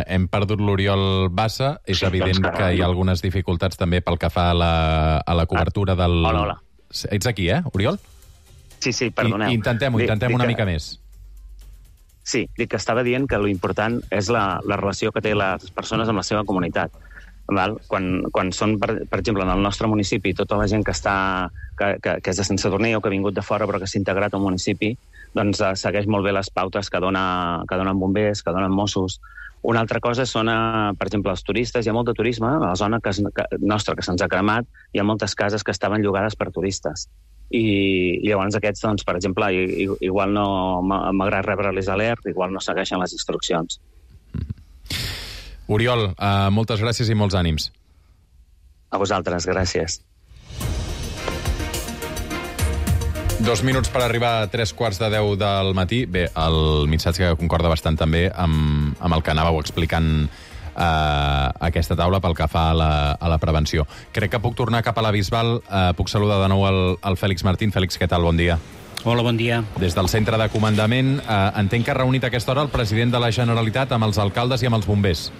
hem perdut l'Oriol Bassa. És evident que hi ha algunes dificultats també pel que fa a la cobertura del... Hola. Ets aquí, Oriol? Sí, perdoneu. Intentem una mica més. Sí, dic que estava dient que l'important és la relació que té les persones amb la seva comunitat. Quan són, per exemple, en el nostre municipi, tota la gent que és de Sant Sadurní o que ha vingut de fora però que s'ha integrat al municipi, doncs segueix molt bé les pautes que donen bombers, que donen Mossos. Una altra cosa són, per exemple, els turistes. Hi ha molt de turisme a la zona nostra que se'ns ha cremat. Hi ha moltes cases que estaven llogades per turistes. I llavors aquests, doncs, per exemple, igual no m'agrada rebre-les alert, igual no segueixen les instruccions. Oriol, moltes gràcies i molts ànims. A vosaltres, gràcies. 2 minuts per arribar a 3:45 del matí. Bé, el missatge que concorda bastant també amb el que anàveu explicant aquesta taula pel que fa a la prevenció. Crec que puc tornar cap a la Bisbal. Puc saludar de nou el Fèlix Martín. Fèlix, què tal? Bon dia. Hola, bon dia. Des del centre de comandament, entenc que ha reunit a aquesta hora el president de la Generalitat amb els alcaldes i amb els bombers.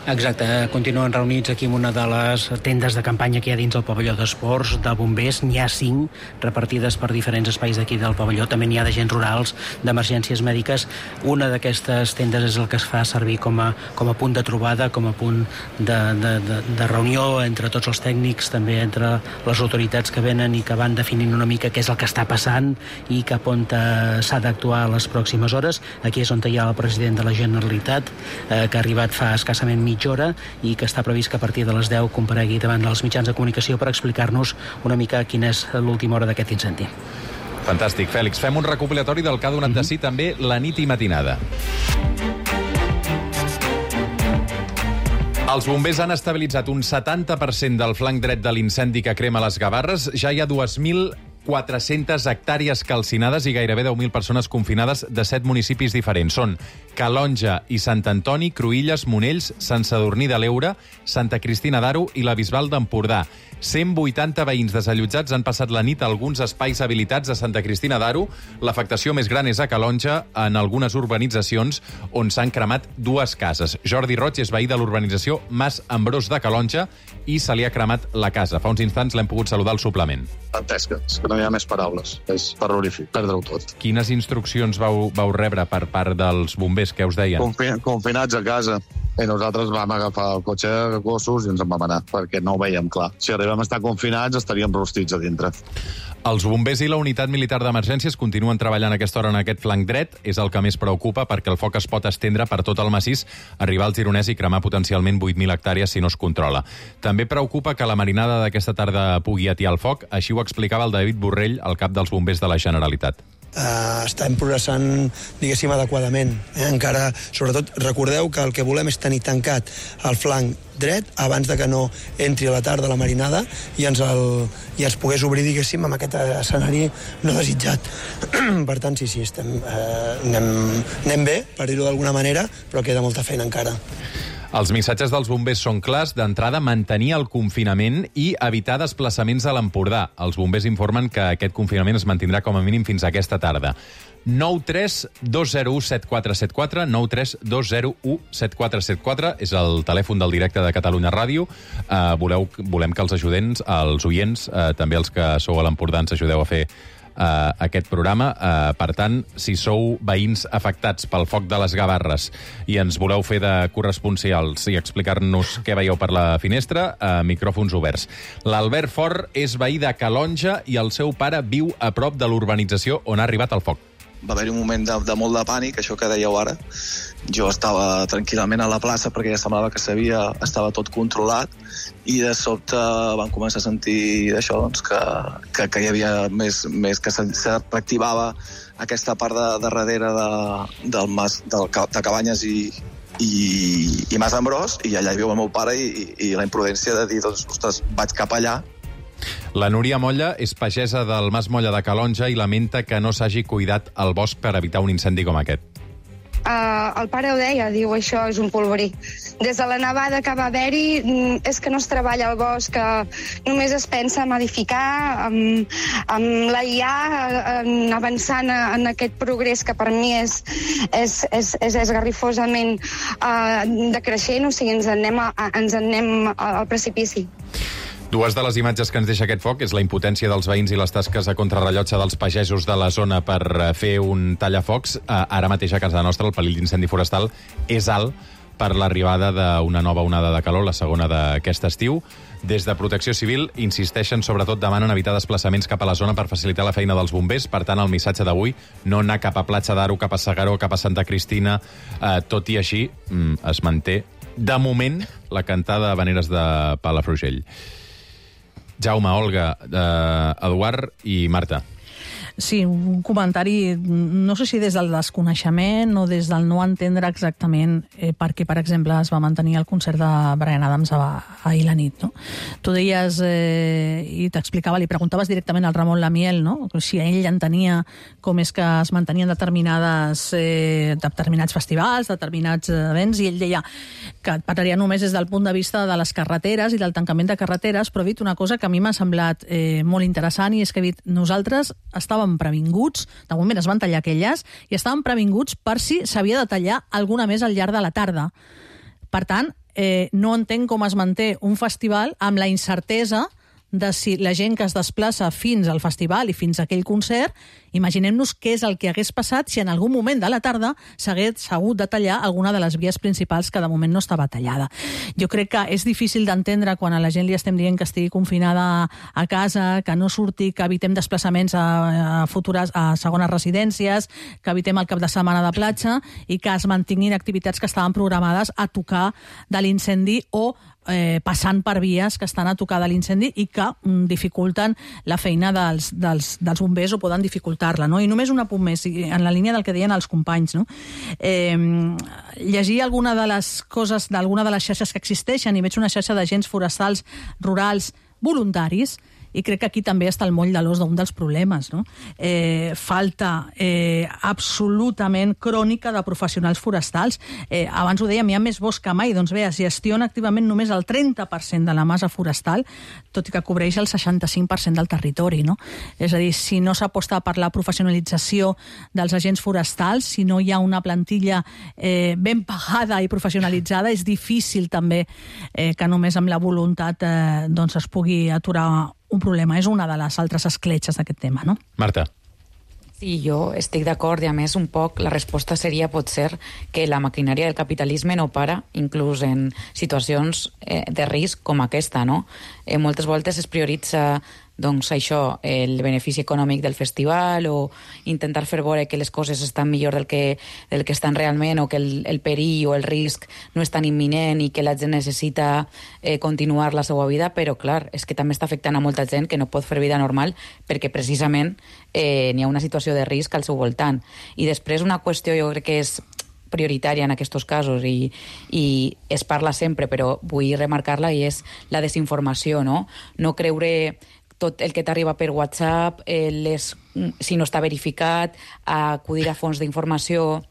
Exacte, continuen reunits aquí en una de les tendes de campanya que hi ha dins el pavelló d'esports, de bombers. N'hi ha 5 repartides per diferents espais d'aquí del pavelló. També n'hi ha d'agents rurals, d'emergències mèdiques. Una d'aquestes tendes és el que es fa servir com a punt de trobada, com a punt de reunió entre tots els tècnics, també entre les autoritats que venen i que van definint una mica què és el que està passant i cap on s'ha d'actuar a les pròximes hores. Aquí és on hi ha el president de la Generalitat, que ha arribat fa escassament mitja hora i que està previst que a partir de les 10 comparegui davant dels mitjans de comunicació per explicar-nos una mica quina és l'última hora d'aquest incendi. Fantàstic, Fèlix. Fem un recopilatori del que ha donat de si també la nit i matinada. Els bombers han estabilitzat un 70% del flanc dret de l'incendi que crema les Gavarres. Ja hi ha 2.400 hectàrees calcinades i gairebé 10.000 persones confinades de 7 municipis diferents. Són Calonja i Sant Antoni, Cruïlles, Monells, Sant Sadurní de l'Eure, Santa Cristina d'Aro i la Bisbal d'Empordà. 180 veïns desallotjats han passat la nit a alguns espais habilitats a Santa Cristina d'Aro. L'afectació més gran és a Calonja, en algunes urbanitzacions on s'han cremat 2 cases. Jordi Roig és veí de l'urbanització Mas Ambrós de Calonja i se li ha cremat la casa. Fa uns instants l'hem pogut saludar al suplement. Dantesca, és que no hi ha més paraules. És terrorífic, perdre-ho tot. Quines instruccions vau rebre per part dels bombers? Què us deien? Confinats a casa. I nosaltres vam agafar el cotxe de gossos i ens en vam anar, perquè no ho veiem clar. Si arribem a estar confinats, estaríem rostits a dintre. Els bombers i la unitat militar d'emergències continuen treballant a aquesta hora en aquest flanc dret. És el que més preocupa perquè el foc es pot estendre per tot el massís, arribar al Gironès i cremar potencialment 8.000 hectàrees si no es controla. També preocupa que la marinada d'aquesta tarda pugui atiar el foc. Així ho explicava el David Borrell, el cap dels bombers de la Generalitat. Estem progressant, diguéssim, adequadament. Encara, sobretot, recordeu que el que volem és tenir tancat el flanc dret abans de que no entri a la tarda la marinada i ens pogués obrir, diguéssim, amb aquest escenari no desitjat. Per tant, sí, anem bé, per dir-ho d'alguna manera, però queda molta feina encara. Els missatges dels bombers són clars. D'entrada, mantenir el confinament i evitar desplaçaments a l'Empordà. Els bombers informen que aquest confinament es mantindrà com a mínim fins a aquesta tarda. 932017474, 932017474, és el telèfon del directe de Catalunya Ràdio. Volem que els oients, també els que sou a l'Empordà, ens ajudeu a fer aquest programa. Per tant, si sou veïns afectats pel foc de les Gavarres i ens voleu fer de corresponsials i explicar-nos què veieu per la finestra, micròfons oberts. L'Albert Fort és veí de Calonja i el seu pare viu a prop de l'urbanització on ha arribat el foc. Va haver-hi un moment de molt de pànic, això que dèieu ara. Jo estava tranquil·lament a la plaça perquè ja semblava que estava tot controlat i de sobte vam començar a sentir això, doncs, que hi havia més que se reactivava aquesta part de darrere del mas de Cabanyes i Mas Ambrós, i allà hi viu el meu pare i la imprudència de dir, doncs, ostres, vaig cap allà. La Núria Molla és pagesa del Mas Molla de Calonja i lamenta que no s'hagi cuidat el bosc per evitar un incendi com aquest. El pare ho deia, diu, això és un polvorí. Des de la nevada que va haver-hi és que no es treballa al bosc, que només es pensa en edificar, amb la IA, avançant en aquest progrés que per mi és esgarrifosament decreixent, o sigui, ens en anem al precipici. Dues de les imatges que ens deixa aquest foc és la impotència dels veïns i les tasques a contrarrellotge dels pagesos de la zona per fer un tallafocs. Ara mateix a casa nostra el perill d'incendi forestal és alt per l'arribada d'una nova onada de calor, la segona d'aquest estiu. Des de Protecció Civil insisteixen, sobretot demanen evitar desplaçaments cap a la zona per facilitar la feina dels bombers. Per tant, el missatge d'avui, no anar cap a Platja d'Aro, cap a Segaró, cap a Santa Cristina. Tot i així, es manté, de moment, la cantada de habaneres de Palafrugell. Jaume, Olga, Eduard i Marta. Sí, un comentari, no sé si des del desconeixement o des del no entendre exactament per què, per exemple, es va mantenir el concert de Bryan Adams ahir la nit, no? Tu deies, i t'explicava, li preguntaves directament al Ramon Lamiel, no? Si ell entenia com és que es mantenien determinats festivals, determinats events, i ell deia que et parlaria només des del punt de vista de les carreteres i del tancament de carreteres, però ha dit una cosa que a mi m'ha semblat molt interessant, i és que ha dit, nosaltres estàvem previnguts, de moment es van tallar aquelles, i estàvem previnguts per si s'havia de tallar alguna més al llarg de la tarda. Per tant, no entenc com es manté un festival amb la incertesa de si la gent que es desplaça fins al festival i fins a aquell concert, imaginem-nos què és el que hagués passat si en algun moment de la tarda s'hagués hagut de tallar alguna de les vies principals que de moment no estava tallada. Jo crec que és difícil d'entendre quan a la gent li estem dient que estigui confinada a casa, que no surti, que evitem desplaçaments a segones residències, que evitem el cap de setmana de platja i que es mantinguin activitats que estaven programades a tocar de l'incendi o passant per vies que estan a tocar de l'incendi i que dificulten la feina dels bombers o poden dificultar-la, no? I només un apunt més, en la línia del que deien els companys, no? Llegir alguna de les coses d'alguna de les xarxes que existeixen i veig una xarxa d'agents forestals rurals voluntaris i crec que aquí també està el moll de l'os d'un dels problemes, no? Falta absolutament crònica de professionals forestals. Abans ho dèiem, hi ha més bosc que mai, doncs bé, es gestiona activament només el 30% de la massa forestal, tot i que cobreix el 65% del territori, no? És a dir, si no s'aposta per la professionalització dels agents forestals, si no hi ha una plantilla ben pagada i professionalitzada, és difícil també que només amb la voluntat doncs es pugui aturar un problema. És una de les altres escletxes d'aquest tema, no? Marta. Sí, jo estic d'acord i a més un poc la resposta seria potser que la maquinària del capitalisme no para inclús en situacions de risc com aquesta, no? Moltes voltes es prioritza doncs això, el benefici econòmic del festival o intentar fer veure que les coses estan millor del que estan realment o que el perill o el risc no és tan imminent i que la gent necessita continuar la seva vida, però clar, és que també està afectant a molta gent que no pot fer vida normal perquè precisament n'hi ha una situació de risc al seu voltant. I després una qüestió jo crec que és prioritària en aquests casos i es parla sempre, però vull remarcar-la i és la desinformació, no? No creure tot el que t'arriba per WhatsApp, si no està verificat, acudir a fonts d'informació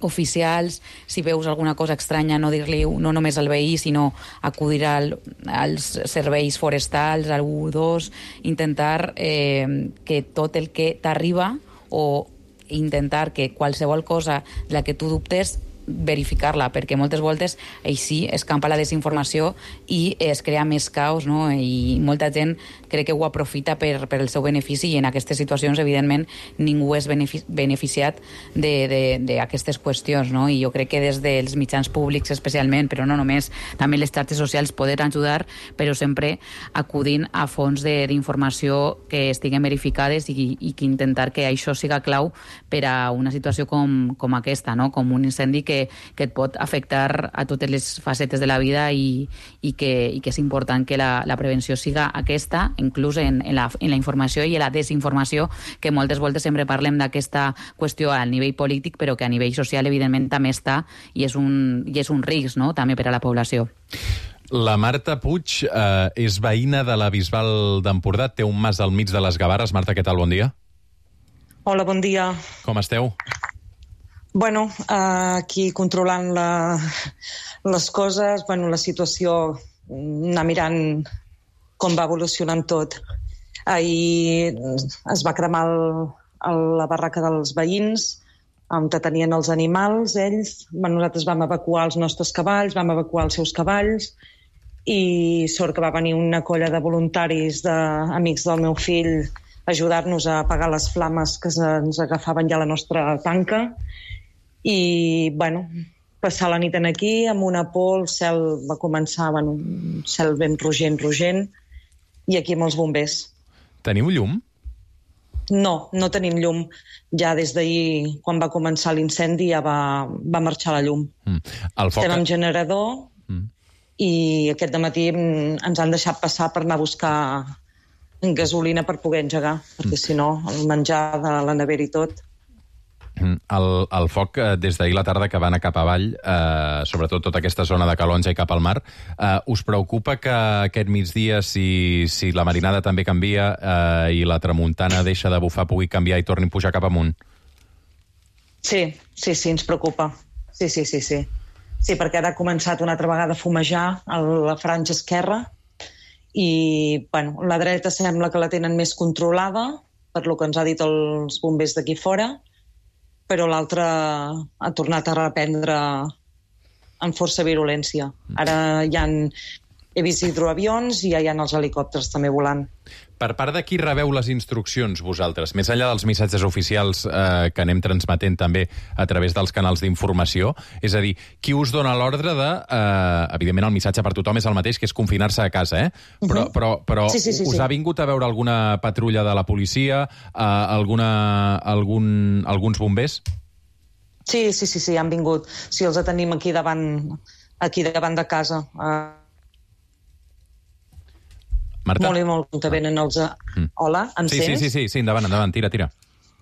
oficials, si veus alguna cosa estranya, no dir-li no només al veí, sinó acudir als serveis forestals, al 112, intentar que tot el que t'arriba o intentar que qualsevol cosa de la que tu dubtes verificar-la, perquè moltes voltes així escampa la desinformació i es crea més caos, no? I molta gent crec que ho aprofita per el seu benefici i en aquestes situacions, evidentment, ningú és beneficiat d'aquestes qüestions, no? I jo crec que des dels mitjans públics especialment, però no només, també les xarxes socials poden ajudar, però sempre acudint a fonts d'informació que estiguen verificades i que intentar que això siga clau per a una situació com aquesta, no? Com un incendi que et pot afectar a totes les facetes de la vida i que és important que la prevenció siga aquesta, inclús en la informació i en la desinformació, que moltes voltes sempre parlem d'aquesta qüestió a nivell polític, però que a nivell social evidentment també està i és un risc, no?, també per a la població. La Marta Puig és veïna de la Bisbal d'Empordà, té un mas al mig de les Gavarres. Marta, què tal? Bon dia. Hola, bon dia. Com esteu? Bueno, aquí controlant les coses, bueno, la situació, anar mirant com va evolucionant tot. Ahir es va cremar la barraca dels veïns, on tenien els animals, ells. Nosaltres vam evacuar els nostres cavalls, vam evacuar els seus cavalls, i sort que va venir una colla de voluntaris, d'amics del meu fill, a ajudar-nos a apagar les flames que ens agafaven ja a la nostra tanca. I, bueno, passar la nit aquí, amb una por, el cel va començar, un cel ben rogent, i aquí amb els bombers. Teniu llum? No, no tenim llum. Ja des d'ahir, quan va començar l'incendi, ja va marxar la llum. Estem amb generador i aquest dematí ens han deixat passar per anar a buscar gasolina per poder engegar, perquè si no, el menjar de la nevera i tot... El foc, des d'ahir la tarda que va anar cap avall, sobretot tota aquesta zona de Calonja i cap al mar, us preocupa que aquest migdia, si la marinada també canvia i la tramuntana deixa de bufar, pugui canviar i torni a pujar cap amunt? Sí, ens preocupa. Sí. Sí, perquè ara ha començat una altra vegada a fumejar a la franja esquerra i, bueno, la dreta sembla que la tenen més controlada, per lo que ens ha dit els bombers d'aquí fora, però l'altre ha tornat a reprendre amb força virulència. Ara he vist hidroavions i ja hi ha els helicòpters també volant. Per part de qui rebeu les instruccions, vosaltres? Més enllà dels missatges oficials que anem transmetent també a través dels canals d'informació, és a dir, qui us dona l'ordre de... evidentment, el missatge per tothom és el mateix, que és confinar-se a casa, Però Sí. us ha vingut a veure alguna patrulla de la policia, alguns bombers? Sí, han vingut. Sí, els tenim aquí davant de casa. Marta? Molt, que venen els... Hola, em sents? Sí, endavant, tira.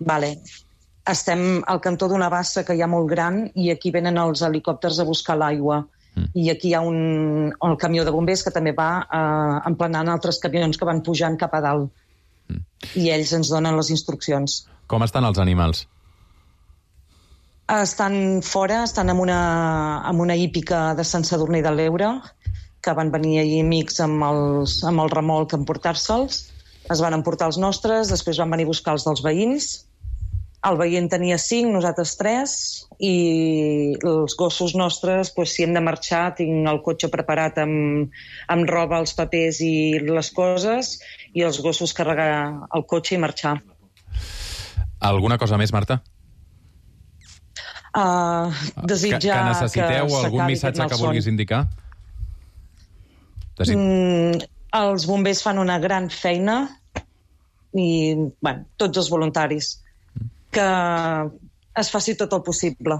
Vale. Estem al cantó d'una bassa que hi ha molt gran i aquí venen els helicòpters a buscar l'aigua. I aquí hi ha el camió de bombers que també va emplenant altres camions que van pujant cap a dalt. I ells ens donen les instruccions. Com estan els animals? Estan fora, estan en una hípica de Sant Sadurní de l'Eure, que van venir ahir amics amb el remolc a emportar-se'ls. Es van emportar els nostres, després van venir a buscar els dels veïns. El veí en tenia 5, nosaltres 3, i els gossos nostres, si hem de marxar, tinc el cotxe preparat amb roba, els papers i les coses, i els gossos carregar el cotxe i marxar. Alguna cosa més, Marta? Desitjar que necessiteu algun missatge que vulguis indicar? Els bombers fan una gran feina i, tots els voluntaris, que es faci tot el possible.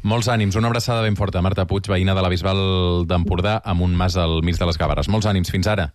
Molts ànims, una abraçada ben forta. Marta Puig, veïna de la Bisbal d'Empordà, amb un mas al mig de les Gavarres. Molts ànims, fins ara.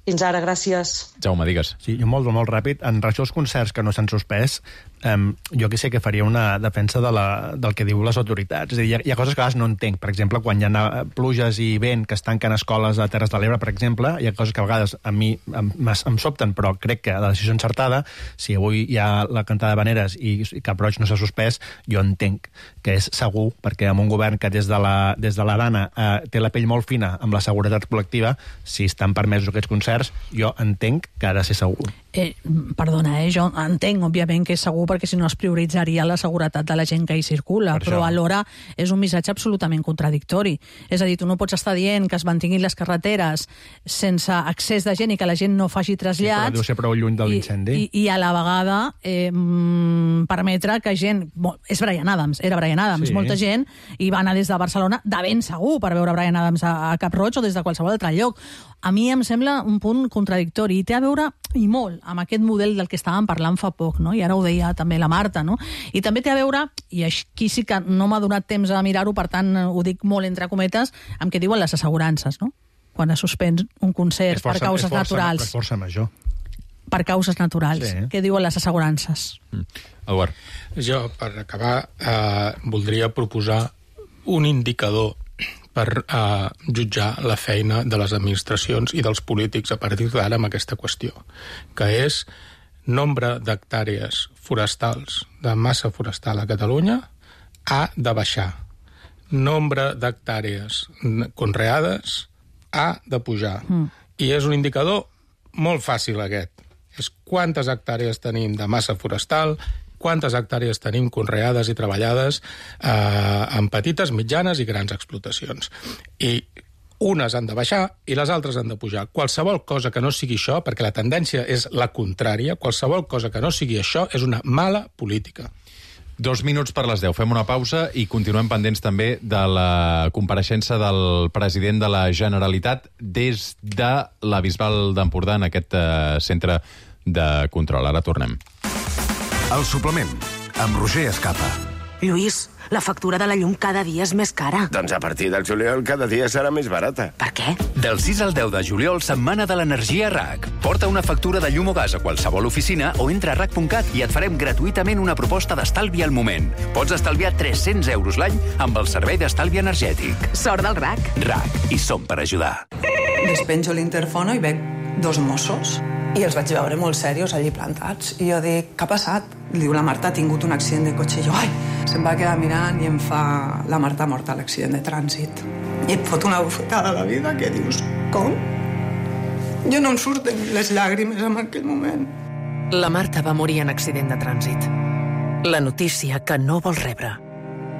Fins ara, gràcies. Jaume, digues. Sí, jo molt ràpid. En relació als concerts que no s'han suspès, jo que sé que faria una defensa del que diu les autoritats. És a dir, hi ha coses que a vegades no entenc. Per exemple, quan hi ha pluges i vent que es tanquen escoles a Terres de l'Ebre, per exemple, hi ha coses que a vegades a mi em sobten, però crec que la decisió encertada, si avui hi ha la cantada de Veneres i Cap Roig no s'ha suspès, jo entenc que és segur, perquè amb un govern que des de l'Arana té la pell molt fina amb la seguretat col·lectiva, si estan permesos aquests concerts, jo entenc que ha de ser segur. Perdona, jo entenc, òbviament, que és segur perquè si no es prioritzaria la seguretat de la gent que hi circula, però alhora és un missatge absolutament contradictori. És a dir, tu no pots estar dient que es mantinguin les carreteres sense accés de gent i que la gent no faci trasllats... Sí, però deu ser prou lluny de l'incendi. I a la vegada permetre que gent... És Bryan Adams, era Bryan Adams. Sí. Molta gent hi va anar des de Barcelona de ben segur per veure Bryan Adams a Cap Roig o des de qualsevol altre lloc. A mi em sembla un punt contradictori i té a veure, i molt, amb aquest model del que estàvem parlant fa poc, no? I ara ho deia també la Marta, no? I també té a veure, i aquí sí que no m'ha donat temps a mirar-ho, per tant ho dic molt entre cometes, amb què diuen les assegurances, no? Quan es suspèn un concert per causes naturals. És força major. Per causes naturals. Sí. Què diuen les assegurances? Eduard. Jo, per acabar, voldria proposar un indicador per jutjar la feina de les administracions i dels polítics a partir d'ara amb aquesta qüestió, que és nombre d'hectàrees forestals, de massa forestal a Catalunya, ha de baixar. Nombre d'hectàrees conreades ha de pujar. I és un indicador molt fàcil aquest. És quantes hectàrees tenim de massa forestal, quantes hectàrees tenim conreades i treballades en petites, mitjanes i grans explotacions. I unes han de baixar i les altres han de pujar. Qualsevol cosa que no sigui això, perquè la tendència és la contrària, qualsevol cosa que no sigui això és una mala política. 2 minuts per les 10. Fem una pausa i continuem pendents també de la compareixença del president de la Generalitat des de la Bisbal d'Empordà en aquest centre de control. Ara tornem. El suplement, amb Roger Escapa. Lluís, la factura de la llum cada dia és més cara. Doncs a partir del juliol cada dia serà més barata. Per què? Del 6 al 10 de juliol, setmana de l'energia RAC. Porta una factura de llum o gas a qualsevol oficina o entra a RAC.cat i et farem gratuïtament una proposta d'estalvi al moment. Pots estalviar 300 euros l'any amb el servei d'estalvi energètic. Sort del RAC. RAC, i som per ajudar. Despenjo l'interfono i veig 2 Mossos i els vaig veure molt serios allí plantats. I jo dic, què ha passat? Diu, la Marta ha tingut un accident de cotxe. I jo, ai, se'm va quedar mirant i em fa, la Marta ha mort a l'accident de trànsit. I et fot una bufetada a la vida que dius, com? Jo no em surten les llàgrimes en aquell moment. La Marta va morir en accident de trànsit. La notícia que no vols rebre.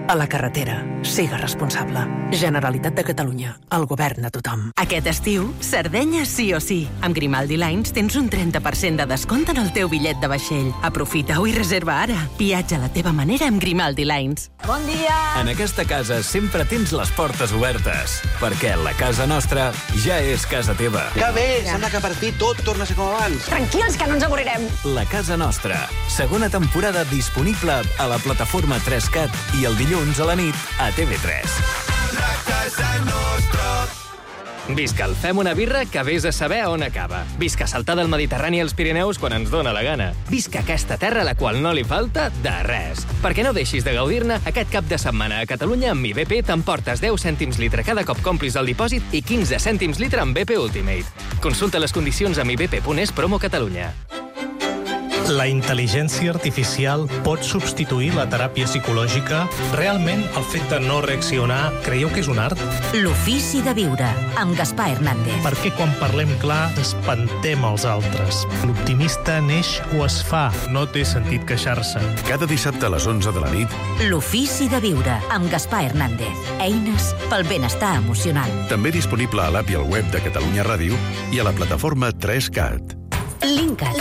A la carretera, siga responsable. Generalitat de Catalunya, el govern de tothom. Aquest estiu, Sardenya sí o sí. Amb Grimaldi Lines tens un 30% de descompte en el teu bitllet de vaixell. Aprofita-ho i reserva ara. Viatja a la teva manera amb Grimaldi Lines. Bon dia! En aquesta casa sempre tens les portes obertes, perquè la casa nostra ja és casa teva. Que bé! Sembla que per fi tot torna a ser com abans. Tranquils, que no ens avorrirem. La casa nostra. Segona temporada disponible a la plataforma 3CAT i el dilluns a la nit a TV3. La casa nostra. Visca el Fem una birra que vés a saber on acaba. Visca saltar del Mediterrani als Pirineus quan ens dóna la gana. Visca aquesta terra a la qual no li falta de res. Perquè no deixis de gaudir-ne, aquest cap de setmana a Catalunya amb IBP t'emportes 10 cèntims litre cada cop complis el dipòsit i 15 cèntims litre amb BP Ultimate. Consulta les condicions amb ibp.es promo Catalunya. La intel·ligència artificial pot substituir la teràpia psicològica? Realment, el fet de no reaccionar, creieu que és un art? L'ofici de viure, amb Gaspar Hernández. Perquè quan parlem clar, espantem els altres. L'optimista neix o es fa. No té sentit queixar-se. Cada dissabte a les 11 de la nit. L'ofici de viure, amb Gaspar Hernández. Eines pel benestar emocional. També disponible a l'app i al web de Catalunya Ràdio i a la plataforma 3CAT. Linkat.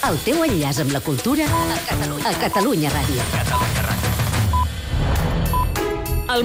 El teu enllaç amb la cultura a Catalunya Ràdio.